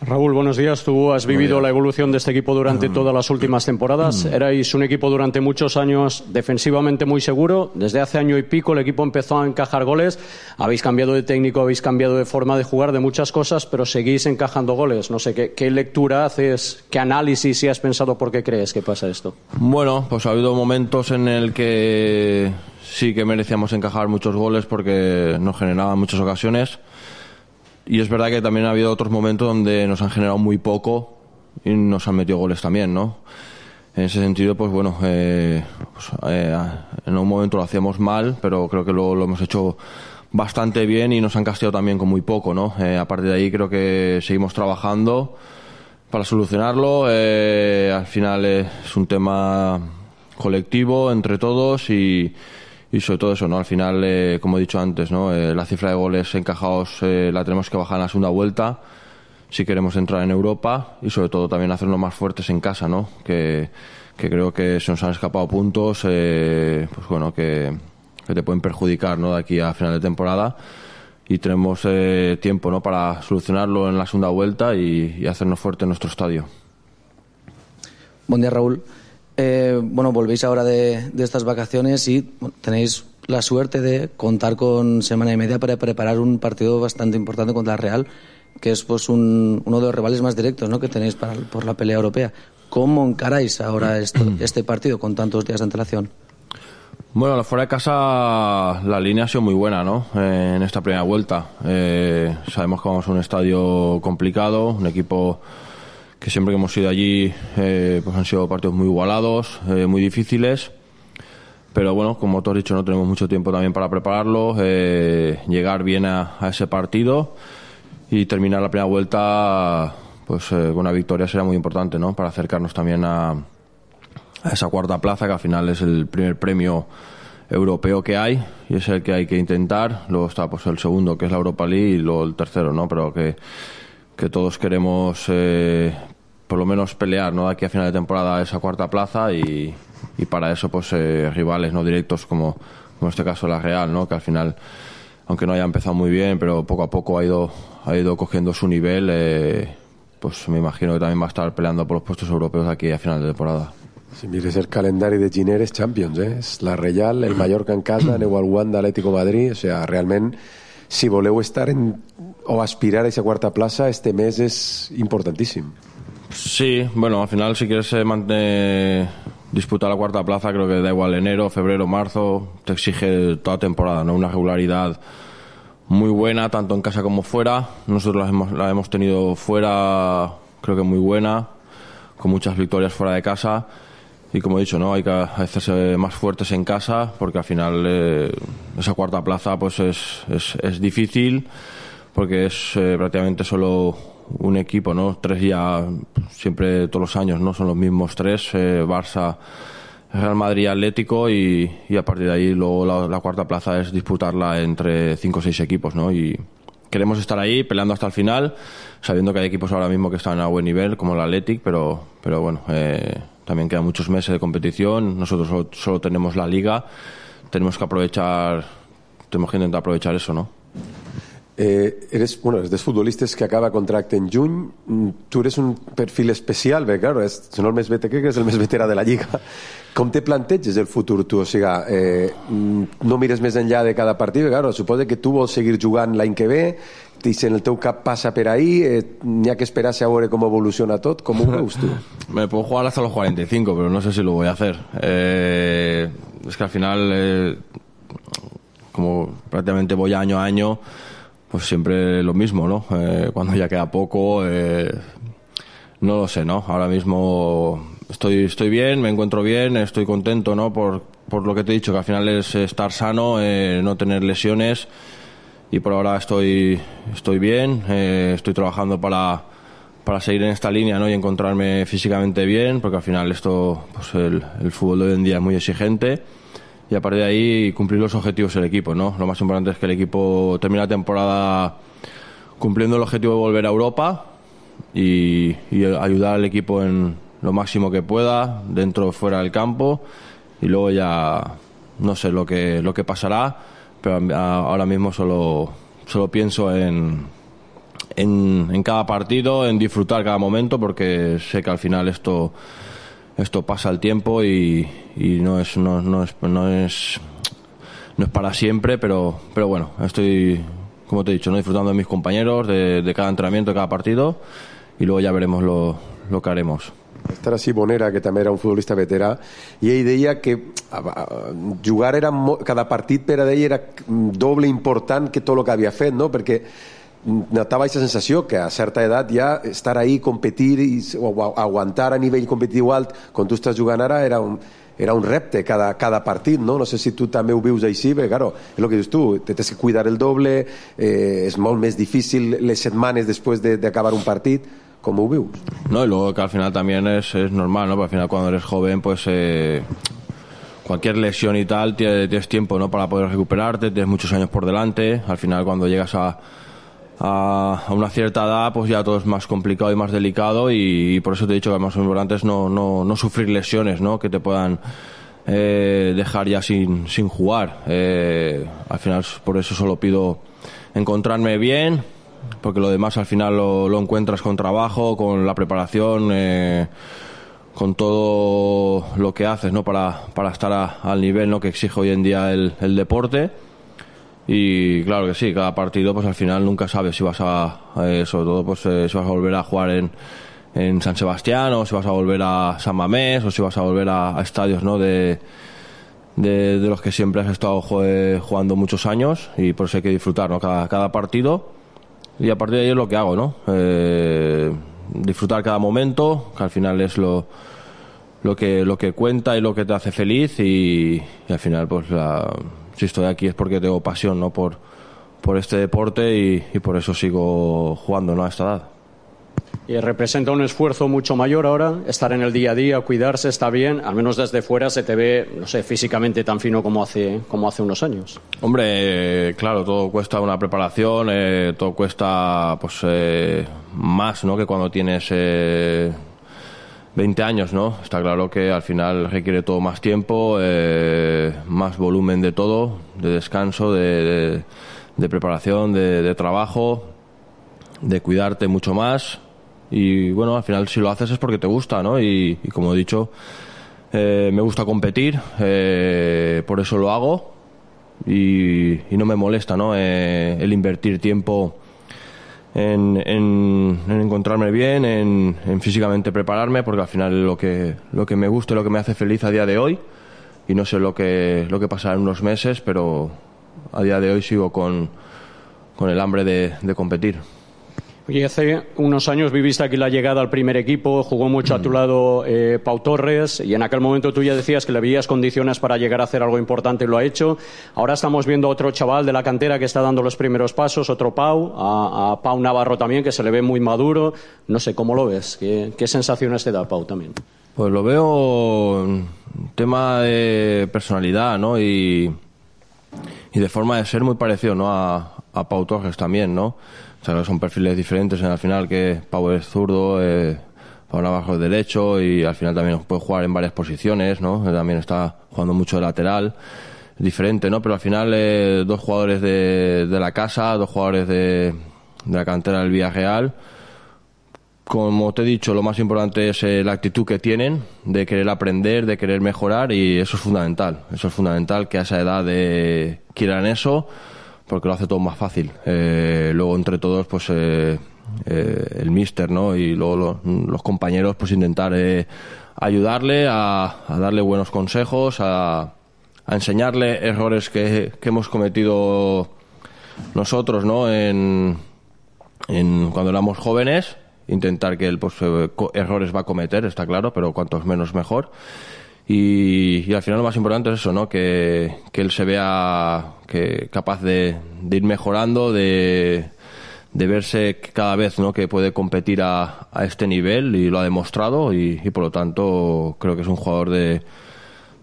Raúl, buenos días. Tú has vivido la evolución de este equipo durante todas las últimas temporadas. Erais un equipo durante muchos años defensivamente muy seguro. Desde hace año y pico el equipo empezó a encajar goles. Habéis cambiado de técnico, habéis cambiado de forma de jugar, de muchas cosas, pero seguís encajando goles. No sé, ¿qué, qué lectura haces, qué análisis si has pensado por qué crees que pasa esto? Bueno, pues ha habido momentos en el que sí que merecíamos encajar muchos goles porque nos generaban muchas ocasiones. Y es verdad que también ha habido otros momentos donde nos han generado muy poco y nos han metido goles también, ¿no? En ese sentido, pues bueno, eh, pues, eh, en un momento lo hacíamos mal, pero creo que luego lo hemos hecho bastante bien y nos han castigado también con muy poco, ¿no? Eh, a partir de ahí creo que seguimos trabajando para solucionarlo. Eh, al final es un tema colectivo entre todos y... Y sobre todo eso, ¿no? Al final, eh, como he dicho antes, ¿no? Eh, la cifra de goles encajados eh, la tenemos que bajar en la segunda vuelta si queremos entrar en Europa y sobre todo también hacernos más fuertes en casa, ¿no? Que, que creo que se nos han escapado puntos, eh, pues bueno, que, que te pueden perjudicar, ¿no? De aquí a final de temporada y tenemos eh, tiempo, ¿no? Para solucionarlo en la segunda vuelta y, y hacernos fuerte en nuestro estadio. Buen día, Raúl. Eh, bueno, volvéis ahora de, de estas vacaciones y bueno, tenéis la suerte de contar con semana y media para preparar un partido bastante importante contra el Real. que es pues un, uno de los rivales más directos, ¿no?, que tenéis para, por la pelea europea. ¿Cómo encaráis ahora esto, este partido con tantos días de antelación? Bueno, fuera de casa la línea ha sido muy buena, ¿no? Eh, en esta primera vuelta. Eh, sabemos que vamos a un estadio complicado, un equipo que siempre que hemos ido allí eh, pues han sido partidos muy igualados, eh, muy difíciles. Pero bueno, como tú has dicho, no tenemos mucho tiempo también para prepararlo, eh, llegar bien a, a ese partido y terminar la primera vuelta pues eh, con una victoria será muy importante, ¿no? Para acercarnos también a, a esa cuarta plaza, que al final es el primer premio europeo que hay y es el que hay que intentar. Luego está pues el segundo, que es la Europa League, y luego el tercero, ¿no? Pero que, que todos queremos eh, por lo menos pelear, ¿no?, de aquí a final de temporada esa cuarta plaza, y y para eso pues eh, rivales no directos como, como en este caso la Real, ¿no?, que al final, aunque no haya empezado muy bien, pero poco a poco ha ido ha ido cogiendo su nivel, eh, pues me imagino que también va a estar peleando por los puestos europeos aquí a final de temporada. Si mires el calendario de Giner es Champions, eh? És la Real, el Mallorca en casa, aneu al Wanda, Atlético Madrid, o sea, realment si voleu estar en, o aspirar a esa cuarta plaza, este mes es importantíssim. Sí, bueno, al final si quieres eh, mantener, disputar la cuarta plaza, creo que da igual enero, febrero, marzo, te exige toda temporada, ¿no? Una regularidad muy buena, tanto en casa como fuera. Nosotros la hemos, la hemos tenido fuera, creo que muy buena, con muchas victorias fuera de casa. Y como he dicho, ¿no?, hay que hacerse más fuertes en casa, porque al final eh, esa cuarta plaza pues es, es, es difícil, porque es eh, prácticamente solo un equipo, ¿no? Tres ya, siempre todos los años, ¿no? Son los mismos tres, eh, Barça, Real Madrid, Atlético, y, y a partir de ahí luego la, la cuarta plaza es disputarla entre cinco o seis equipos, ¿no? Y queremos estar ahí peleando hasta el final, sabiendo que hay equipos ahora mismo que están a buen nivel, como el Athletic, pero, pero bueno, eh, también quedan muchos meses de competición. Nosotros solo, solo tenemos la Liga, tenemos que aprovechar, tenemos que intentar aprovechar eso, ¿no? Eh, eres, bueno, eres dels futbolistes que acaba contracte en juny. Tu eres un perfil especial, perquè, clar, és, si no el més veterà, que és el més veterà de la Lliga. Com te planteges el futur, tu? O sigui, eh, no mires més enllà de cada partit, clar, suposa que tu vols seguir jugant l'any que ve, i si en el teu cap passa per ahí, eh, n'hi ha que esperar a veure com evoluciona tot. Com ho veus tu? Me puedo jugar hasta los cuarenta y cinco, pero no sé si lo voy a hacer. Eh, es que al final, eh, como prácticamente voy año a año, pues siempre lo mismo, ¿no? Eh, cuando ya queda poco, eh, no lo sé, ¿no? Ahora mismo estoy estoy bien, me encuentro bien, estoy contento, ¿no? Por, por lo que te he dicho, que al final es estar sano, eh, no tener lesiones, y por ahora estoy estoy bien, eh, estoy trabajando para, para seguir en esta línea, ¿no? Y encontrarme físicamente bien, porque al final esto, pues el, el fútbol de hoy en día es muy exigente. Y a partir de ahí cumplir los objetivos del equipo, ¿no? Lo más importante es que el equipo termine la temporada cumpliendo el objetivo de volver a Europa y, y ayudar al equipo en lo máximo que pueda, dentro o fuera del campo, y luego ya no sé lo que lo que pasará, pero ahora mismo solo solo pienso en en, en cada partido, en disfrutar cada momento, porque sé que al final esto esto pasa el tiempo y, y no es no, no es no es no es para siempre, pero pero bueno, estoy, como te he dicho, no disfrutando de mis compañeros, de, de cada entrenamiento, de cada partido, y luego ya veremos lo, lo que haremos. Estar així Bonera, que també era un futbolista veterà, i ell deia que jugar era cada partit per a ell era doble important que tot el que havia fet, no? Perquè notava aquesta sensació que a certa edat ja estar ahí, competir i, o aguantar a nivell competitiu alt com tu estàs jugant ara era un, era un repte cada, cada partit, no? No sé si tu també ho vius així, perquè claro, és el que dius tu, te tens que cuidar el doble, eh, és molt més difícil les setmanes després de, de acabar un partit. ¿Cómo vius? No, y luego que al final también es, es normal, ¿no? Porque al final cuando eres joven, pues eh, cualquier lesión y tal, tienes, tienes tiempo, ¿no? Para poder recuperarte, tienes muchos años por delante. Al final cuando llegas a, a, a una cierta edad, pues ya todo es más complicado y más delicado, y, y por eso te he dicho que lo más importante es no, no, no sufrir lesiones, ¿no? Que te puedan eh, dejar ya sin, sin jugar. Eh, al final por eso solo pido encontrarme bien, porque lo demás al final lo, lo encuentras con trabajo, con la preparación, eh, con todo lo que haces, ¿no? Para, para estar a, al nivel, ¿no? Que exige hoy en día el, el deporte. Y claro que sí, cada partido pues al final nunca sabes si vas a, eh, sobre todo pues eh, si vas a volver a jugar en, en San Sebastián, o si vas a volver a San Mamés, o si vas a volver a, a estadios, ¿no?, de, de, de los que siempre has estado jugando muchos años, y por eso hay que disfrutar, ¿no?, cada, cada partido. Y a partir de ahí es lo que hago, ¿no? Eh, disfrutar cada momento, que al final es lo, lo, que, lo que cuenta y lo que te hace feliz, y, y al final, pues, la, si estoy aquí es porque tengo pasión, ¿no?, por, por este deporte, y, y por eso sigo jugando, ¿no?, a esta edad. Y representa un esfuerzo mucho mayor ahora, estar en el día a día, cuidarse, está bien, al menos desde fuera se te ve, no sé, físicamente tan fino como hace, como hace unos años. Hombre, eh, claro, todo cuesta una preparación, eh, todo cuesta pues eh, más, ¿no?, que cuando tienes eh, veinte años, ¿no? Está claro que al final requiere todo más tiempo, eh, más volumen de todo, de descanso, de, de, de preparación, de, de trabajo, de cuidarte mucho más. Y bueno, al final si lo haces es porque te gusta, ¿no? Y, y como he dicho, eh, me gusta competir, eh, por eso lo hago, y, y no me molesta, ¿no?, eh, el invertir tiempo en, en, en encontrarme bien, en, en físicamente prepararme, porque al final es lo que, lo que me gusta y lo que me hace feliz a día de hoy, y no sé lo que, lo que pasará en unos meses, pero a día de hoy sigo con, con el hambre de, de competir. Oye, hace unos años viviste aquí la llegada al primer equipo, jugó mucho a tu lado eh, Pau Torres, y en aquel momento tú ya decías que le veías condiciones para llegar a hacer algo importante, y lo ha hecho. Ahora estamos viendo a otro chaval de la cantera que está dando los primeros pasos, otro Pau, a, a Pau Navarro también, que se le ve muy maduro. No sé, ¿cómo lo ves? ¿Qué, qué sensaciones te da Pau también? Pues lo veo un tema de personalidad, ¿no?, y, y de forma de ser muy parecido, ¿no?, a, a Pau Torres también, ¿no? O sea, son perfiles diferentes, en al final, que Pau es zurdo, eh, Pau Navarro es derecho, y al final también puede jugar en varias posiciones, ¿no? También está jugando mucho de lateral, diferente, ¿no? Pero al final eh, dos jugadores de, de la casa, dos jugadores de, de la cantera del Villarreal. Como te he dicho, lo más importante es eh, la actitud que tienen, de querer aprender, de querer mejorar, y eso es fundamental. Eso es fundamental, que a esa edad eh, quieran eso, porque lo hace todo más fácil. Eh, luego entre todos, pues eh, eh, el míster, ¿no?, y luego lo, los compañeros, pues intentar eh, ayudarle a, a darle buenos consejos, a, a enseñarle errores que, que hemos cometido nosotros, ¿no?, en, en cuando éramos jóvenes. Intentar que él, pues, eh, errores va a cometer, está claro, pero cuantos menos mejor. Y, y al final lo más importante es eso, ¿no?, que, que él se vea que capaz de, de ir mejorando, de, de verse cada vez, ¿no?, que puede competir a, a este nivel, y lo ha demostrado, y, y por lo tanto creo que es un jugador de,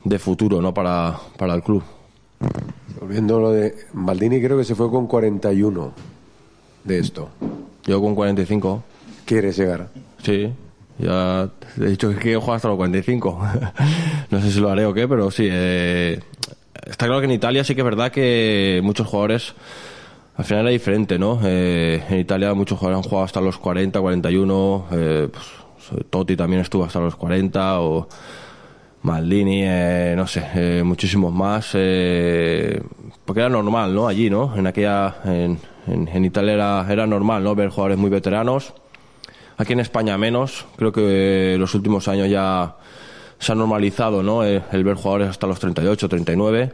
de futuro, ¿no?, para, para el club. Volviendo a lo de Maldini, creo que se fue con cuarenta y uno de esto. Yo con cuarenta y cinco. ¿Quieres llegar? Sí. Ya he dicho que quiero jugar hasta los cuarenta y cinco. No sé si lo haré o qué, pero sí. Eh, está claro que en Italia sí que es verdad que muchos jugadores, al final era diferente, ¿no? Eh, en Italia muchos jugadores han jugado hasta los cuarenta, cuarenta y uno. Eh, pues, Totti también estuvo hasta los cuarenta, o Maldini, eh, no sé, eh, muchísimos más. Eh, porque era normal, ¿no? Allí, ¿no? En aquella, en, en, en Italia era, era normal, ¿no?, ver jugadores muy veteranos. Aquí en España menos. Creo que los últimos años ya se ha normalizado, ¿no?, el, el ver jugadores hasta los treinta y ocho, treinta y nueve.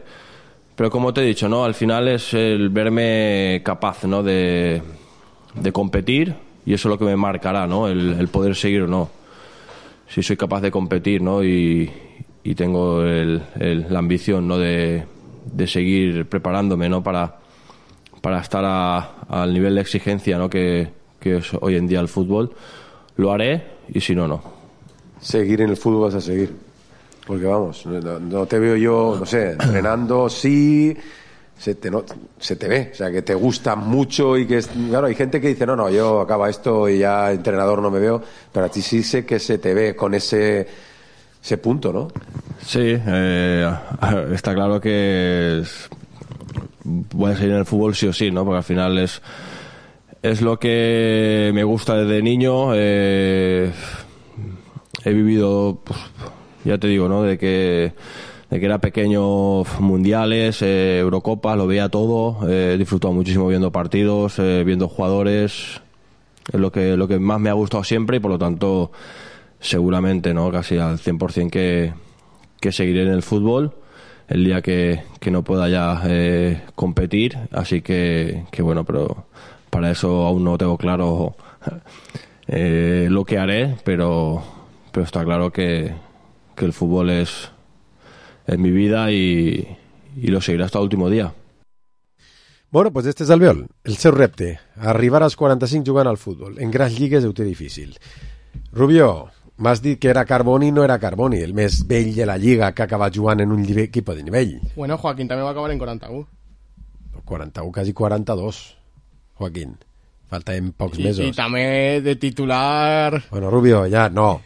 Pero como te he dicho, ¿no?, al final es el verme capaz, ¿no?, de, de competir, y eso es lo que me marcará, ¿no?, el, el poder seguir o no. Si soy capaz de competir, ¿no?, y, y tengo el, el, la ambición, ¿no?, de, de seguir preparándome, ¿no?, para, para estar a, al nivel de exigencia, ¿no?, que que es hoy en día el fútbol, lo haré, y si no, no. Seguir en el fútbol vas a seguir. Porque vamos, no, no te veo yo, no sé, entrenando, sí, se te, no, se te ve, o sea, que te gusta mucho, y que, es, claro, hay gente que dice, no, no, yo acaba esto y ya entrenador no me veo, pero a ti sí sé que se te ve con ese, ese punto, ¿no? Sí, eh, está claro que es, voy a seguir en el fútbol sí o sí, ¿no? Porque al final es Es lo que me gusta desde niño. Eh, he vivido, pues, ya te digo, ¿no?, de que de que era pequeño, mundiales, eh, Eurocopa, lo veía todo, he eh, disfrutado muchísimo viendo partidos, eh, viendo jugadores, es lo que, lo que más me ha gustado siempre y por lo tanto seguramente, ¿no?, casi al cien por ciento que, que seguiré en el fútbol el día que, que no pueda ya eh, competir, así que, que bueno, pero para eso aún no tengo claro eh, lo que haré, pero, pero está claro que, que el fútbol es en mi vida i, i lo seguiré hasta l'últim dia. Bueno, pues este és Albiol, el seu repte, arribar als quaranta-cinc jugant al futbol. En grans lligues ho té difícil. Rubio, m'has dit que era Carboni, no era Carboni, el més vell de la lliga que ha acabat jugant en un equip de nivell. Bueno, Joaquín també va acabar en quaranta-u. quaranta-u, quasi quaranta-dos, Joaquín. Faltaven pocs I, mesos. I també de titular... Bueno, Rubio, ja, no.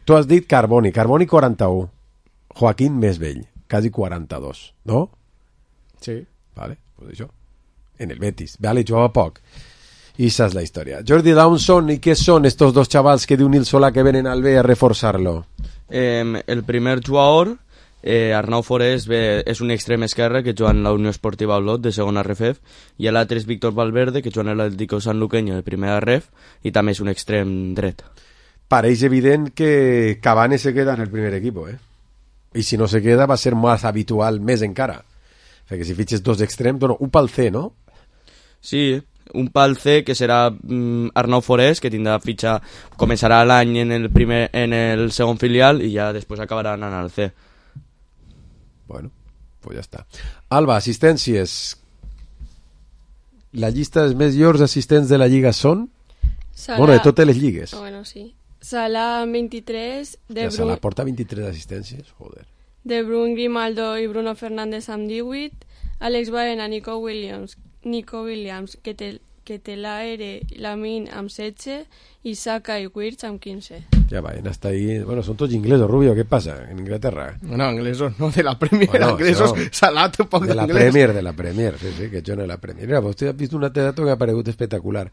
Tu has dit Carboni, Carboni quaranta-u. Joaquín més vell, quasi quaranta-dos, no? Sí. Vale, pues això. En el Betis. Vale, jugava poc. I esa és la història. Jordi Dawson, ¿y qué son estos dos chavals que diu Nil Solà que venen al B a reforçar-lo? Eh, el primer jugador, eh, Arnau Forés, ve, és un extrem esquerre que juga en la Unió Esportiva Olot de segona R F E F, i l'altre és Víctor Valverde, que juga en l'Atlético Sanluqueño de primera R E F, i també és un extrem dret. Pareix evident que Cavani se queda en el primer equipo, ¿eh? Y si no se queda va a ser más habitual, més encara. O sea, que si fiches dos extrems, bueno, un pal C, ¿no? Sí, un pal C que serà mm, Arnau Forés, que tindrà fitxa, començarà l'any en el primer, en el segon filial i ja després acabarà anant al C. Bueno, pues ja està. Alba, assistències. La llista dels més llors assistents de la Lliga són? Salah... Bueno, de totes les lligues. Bueno, sí. Salah vint-i-tres, De ja Bruyne... Salah porta vint-i-tres assistències, joder. De Bruyne, Grimaldo i Bruno Fernández amb divuit, Alex Baena, Nico Williams, Nico Williams, que té, que té l'Aere, Lamine amb setze i Saka i Wirtz amb quinze. Ya Baena está ahí. Bueno, son todos ingleses, Rubio, ¿qué pasa en Inglaterra? Bueno, inglesos no, de la Premier, bueno, inglesos, no, Salah tampoc de la d'inglès. Premier, de la Premier, sí, sí, que jo no de la Premier. Mira, vostè ha vist un altre dato que ha aparegut espectacular.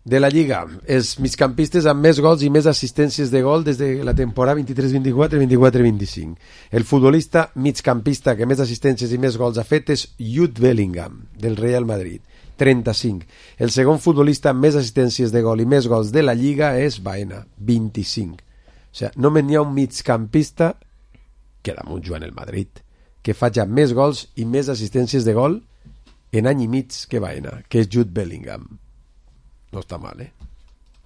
De la Lliga, els migcampistes amb més gols i més assistències de gol des de la temporada vint-i-tres vint-i-quatre, vint-i-quatre vint-i-cinc. El futbolista migcampista que més assistències i més gols ha fet és Jude Bellingham, del Real Madrid, trenta-cinc. El segon futbolista amb més assistències de gol i més gols de la Lliga és Baena, vint-i-cinc. O sigui, només n'hi ha un migcampista, que damunt juga en el Madrid, que faci més gols i més assistències de gol en any i mig que Baena, que és Jude Bellingham. No está mal, ¿eh?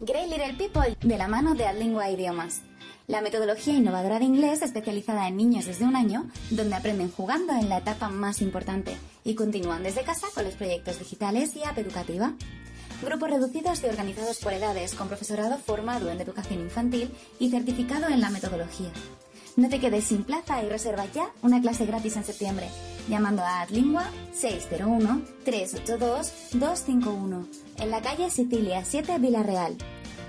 Great Little People, de la mano de Adlingua Idiomas. La metodología innovadora de inglés especializada en niños desde un año, donde aprenden jugando en la etapa más importante y continúan desde casa con los proyectos digitales y app educativa. Grupos reducidos y organizados por edades, con profesorado formado en educación infantil y certificado en la metodología. No te quedes sin plaza y reserva ya una clase gratis en septiembre, llamando a Adlingua seis cero uno, tres ocho dos, dos cinco uno, en la calle Sicilia siete, Villarreal.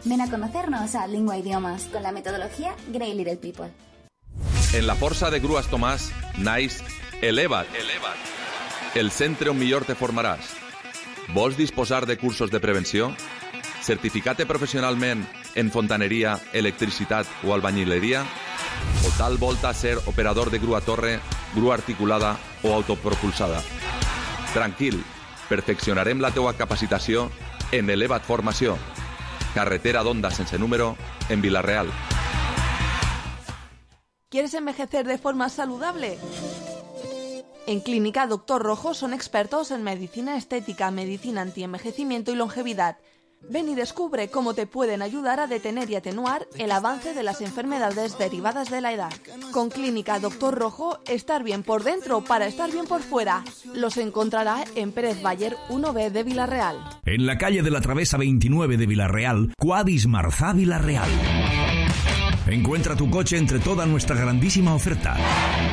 Ven a conocernos a Adlingua Idiomas con la metodología Great Little People. En la força de Grues Tomàs naix Eleva't, Eleva't, el centre on millor te formaràs. Vols disposar de cursos de prevenció? Certificat professionalment en fontaneria, electricitat o albañileria? O tal volta ser operador de grua torre, grua articulada o autopropulsada? Tranquil, perfeccionarem la teua capacitació en Eleva't Formació, carretera d'Onda sense número, en Vila-real. ¿Quieres envejecer de forma saludable? En Clínica Doctor Rojo son expertos en medicina estética, medicina antienvejecimiento y longevidad. Ven y descubre cómo te pueden ayudar a detener y atenuar el avance de las enfermedades derivadas de la edad. Con Clínica Doctor Rojo, estar bien por dentro para estar bien por fuera. Los encontrará en Pérez Bayer uno B de Vila-real. En la calle de la Travesa veintinueve de Vila-real, Quadis Marzá Vila-real. Encuentra tu coche entre toda nuestra grandísima oferta.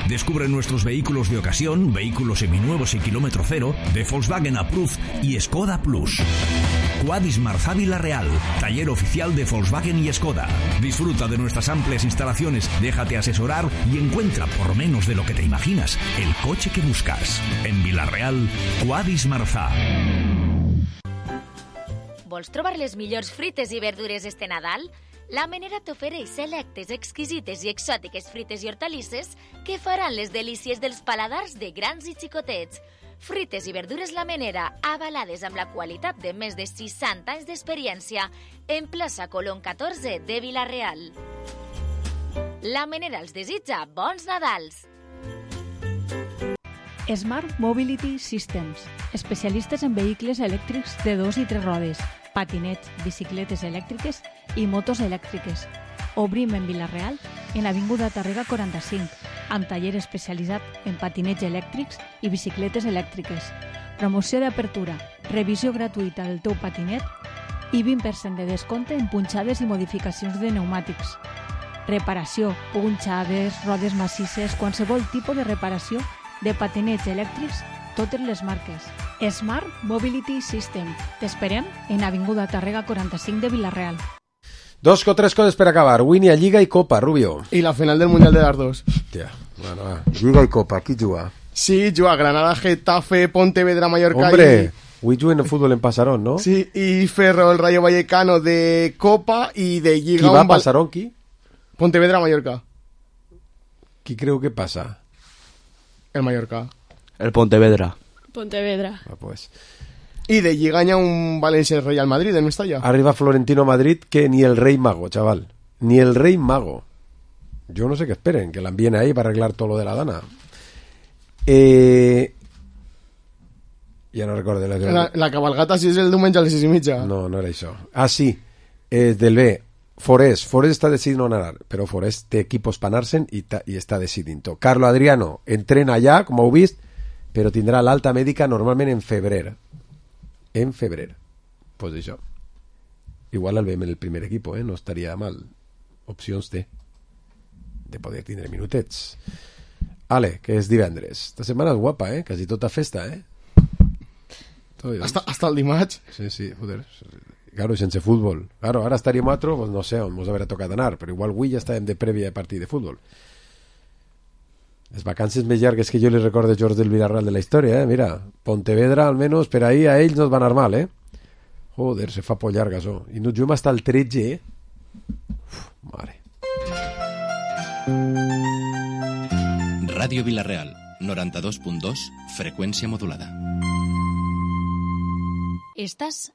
Descubre nuestros vehículos de ocasión, vehículos seminuevos y kilómetro cero, de Volkswagen Approved y Skoda Plus. Quadis Marzá Vila-real, taller oficial de Volkswagen y Skoda. Disfruta de nuestras amplias instalaciones, déjate asesorar y encuentra, por menos de lo que te imaginas, el coche que buscas. En Vila-real, Quadis Marzá. Vols trobar les millors fruites i verdures este Nadal? La Menera t'ofereix selectes, exquisites i exòtiques frites i hortalisses que faran les delícies dels paladars de grans i xicotets. Frites i verdures La Menera, avalades amb la qualitat de més de seixanta anys d'experiència, en plaça Colón catorze de Vila-real. La Menera els desitja bons Nadals! Smart Mobility Systems, especialistes en vehicles elèctrics de dos i tres rodes, patinets, bicicletes elèctriques i motos elèctriques. Obrim en Vila-real, en Avinguda Tàrrega quaranta-cinc, amb taller especialitzat en patinets elèctrics i bicicletes elèctriques. Promoció d'apertura, revisió gratuïta del teu patinet i vint per cent de descompte en punxades i modificacions de pneumàtics. Reparació, punxades, rodes massisses, qualsevol tipus de reparació de patinets elèctrics, totes les marques. Smart Mobility System. T'esperem en Avinguda Tàrrega quaranta-cinc de Vila-real. Dos o tres coses per acabar. Avui n'hi ha Lliga i Copa, Rubio. I la final del Mundial de Dardos. Hòstia, bueno, va. Lliga i Copa, qui juga? Sí, juga Granada, Getafe, Pontevedra, Mallorca. Hombre, i... avui juguen el futbol en Pasarón, ¿no? Sí, y Ferro, el Rayo Vallecano de Copa y de Lliga. Qui va a Pasarón, qui? Pontevedra, Mallorca. Qui creu que passa? El Mallorca. El Pontevedra. Pontevedra. Ah, pues. Y de Lliga hi ha un Valencia Real Madrid en Mestalla. Arriba Florentino Madrid que ni el Rey Mago, chaval. Ni el Rey Mago. Yo no sé qué esperen, que la envíen ahí para arreglar todo lo de la Dana. Eh... Ja no recordo. La, la, la cabalgata si és el diumenge a les sis i mitja. No, no era això. Ah, sí. Eh, del B. Forest. Forest està decidint on anar, però Forest té equipos per anar-se'n i, i està decidint-ho. Carlo Adriano entrena allà, com heu vist, però tindrà l'alta mèdica normalment en febrer. En febrer. Pues això. Igual el veiem en el primer equip, eh? No estaria mal. Opcions té de poder tindre minutets. Ale, que és divendres. Esta setmana és guapa, eh? Quasi tota festa, eh? Hasta, hasta el dimarts. Sí, sí, joder. Claro, sense fútbol. Claro, ara estaríem a otro, pues no sé on mos haurà tocat anar, però igual avui ja estàvem de prèvia de partit de futbol. Les vacances més llargues que jo li recordo de George del Villarreal de la història, eh? Mira, Pontevedra, almenys per ahí a ells no es va anar mal, eh? Joder, se fa por llarga, això. I no juguem hasta el tretze, eh? Uf, mare. Ràdio Vila-real, noranta-dos punt dos, freqüència modulada. Estàs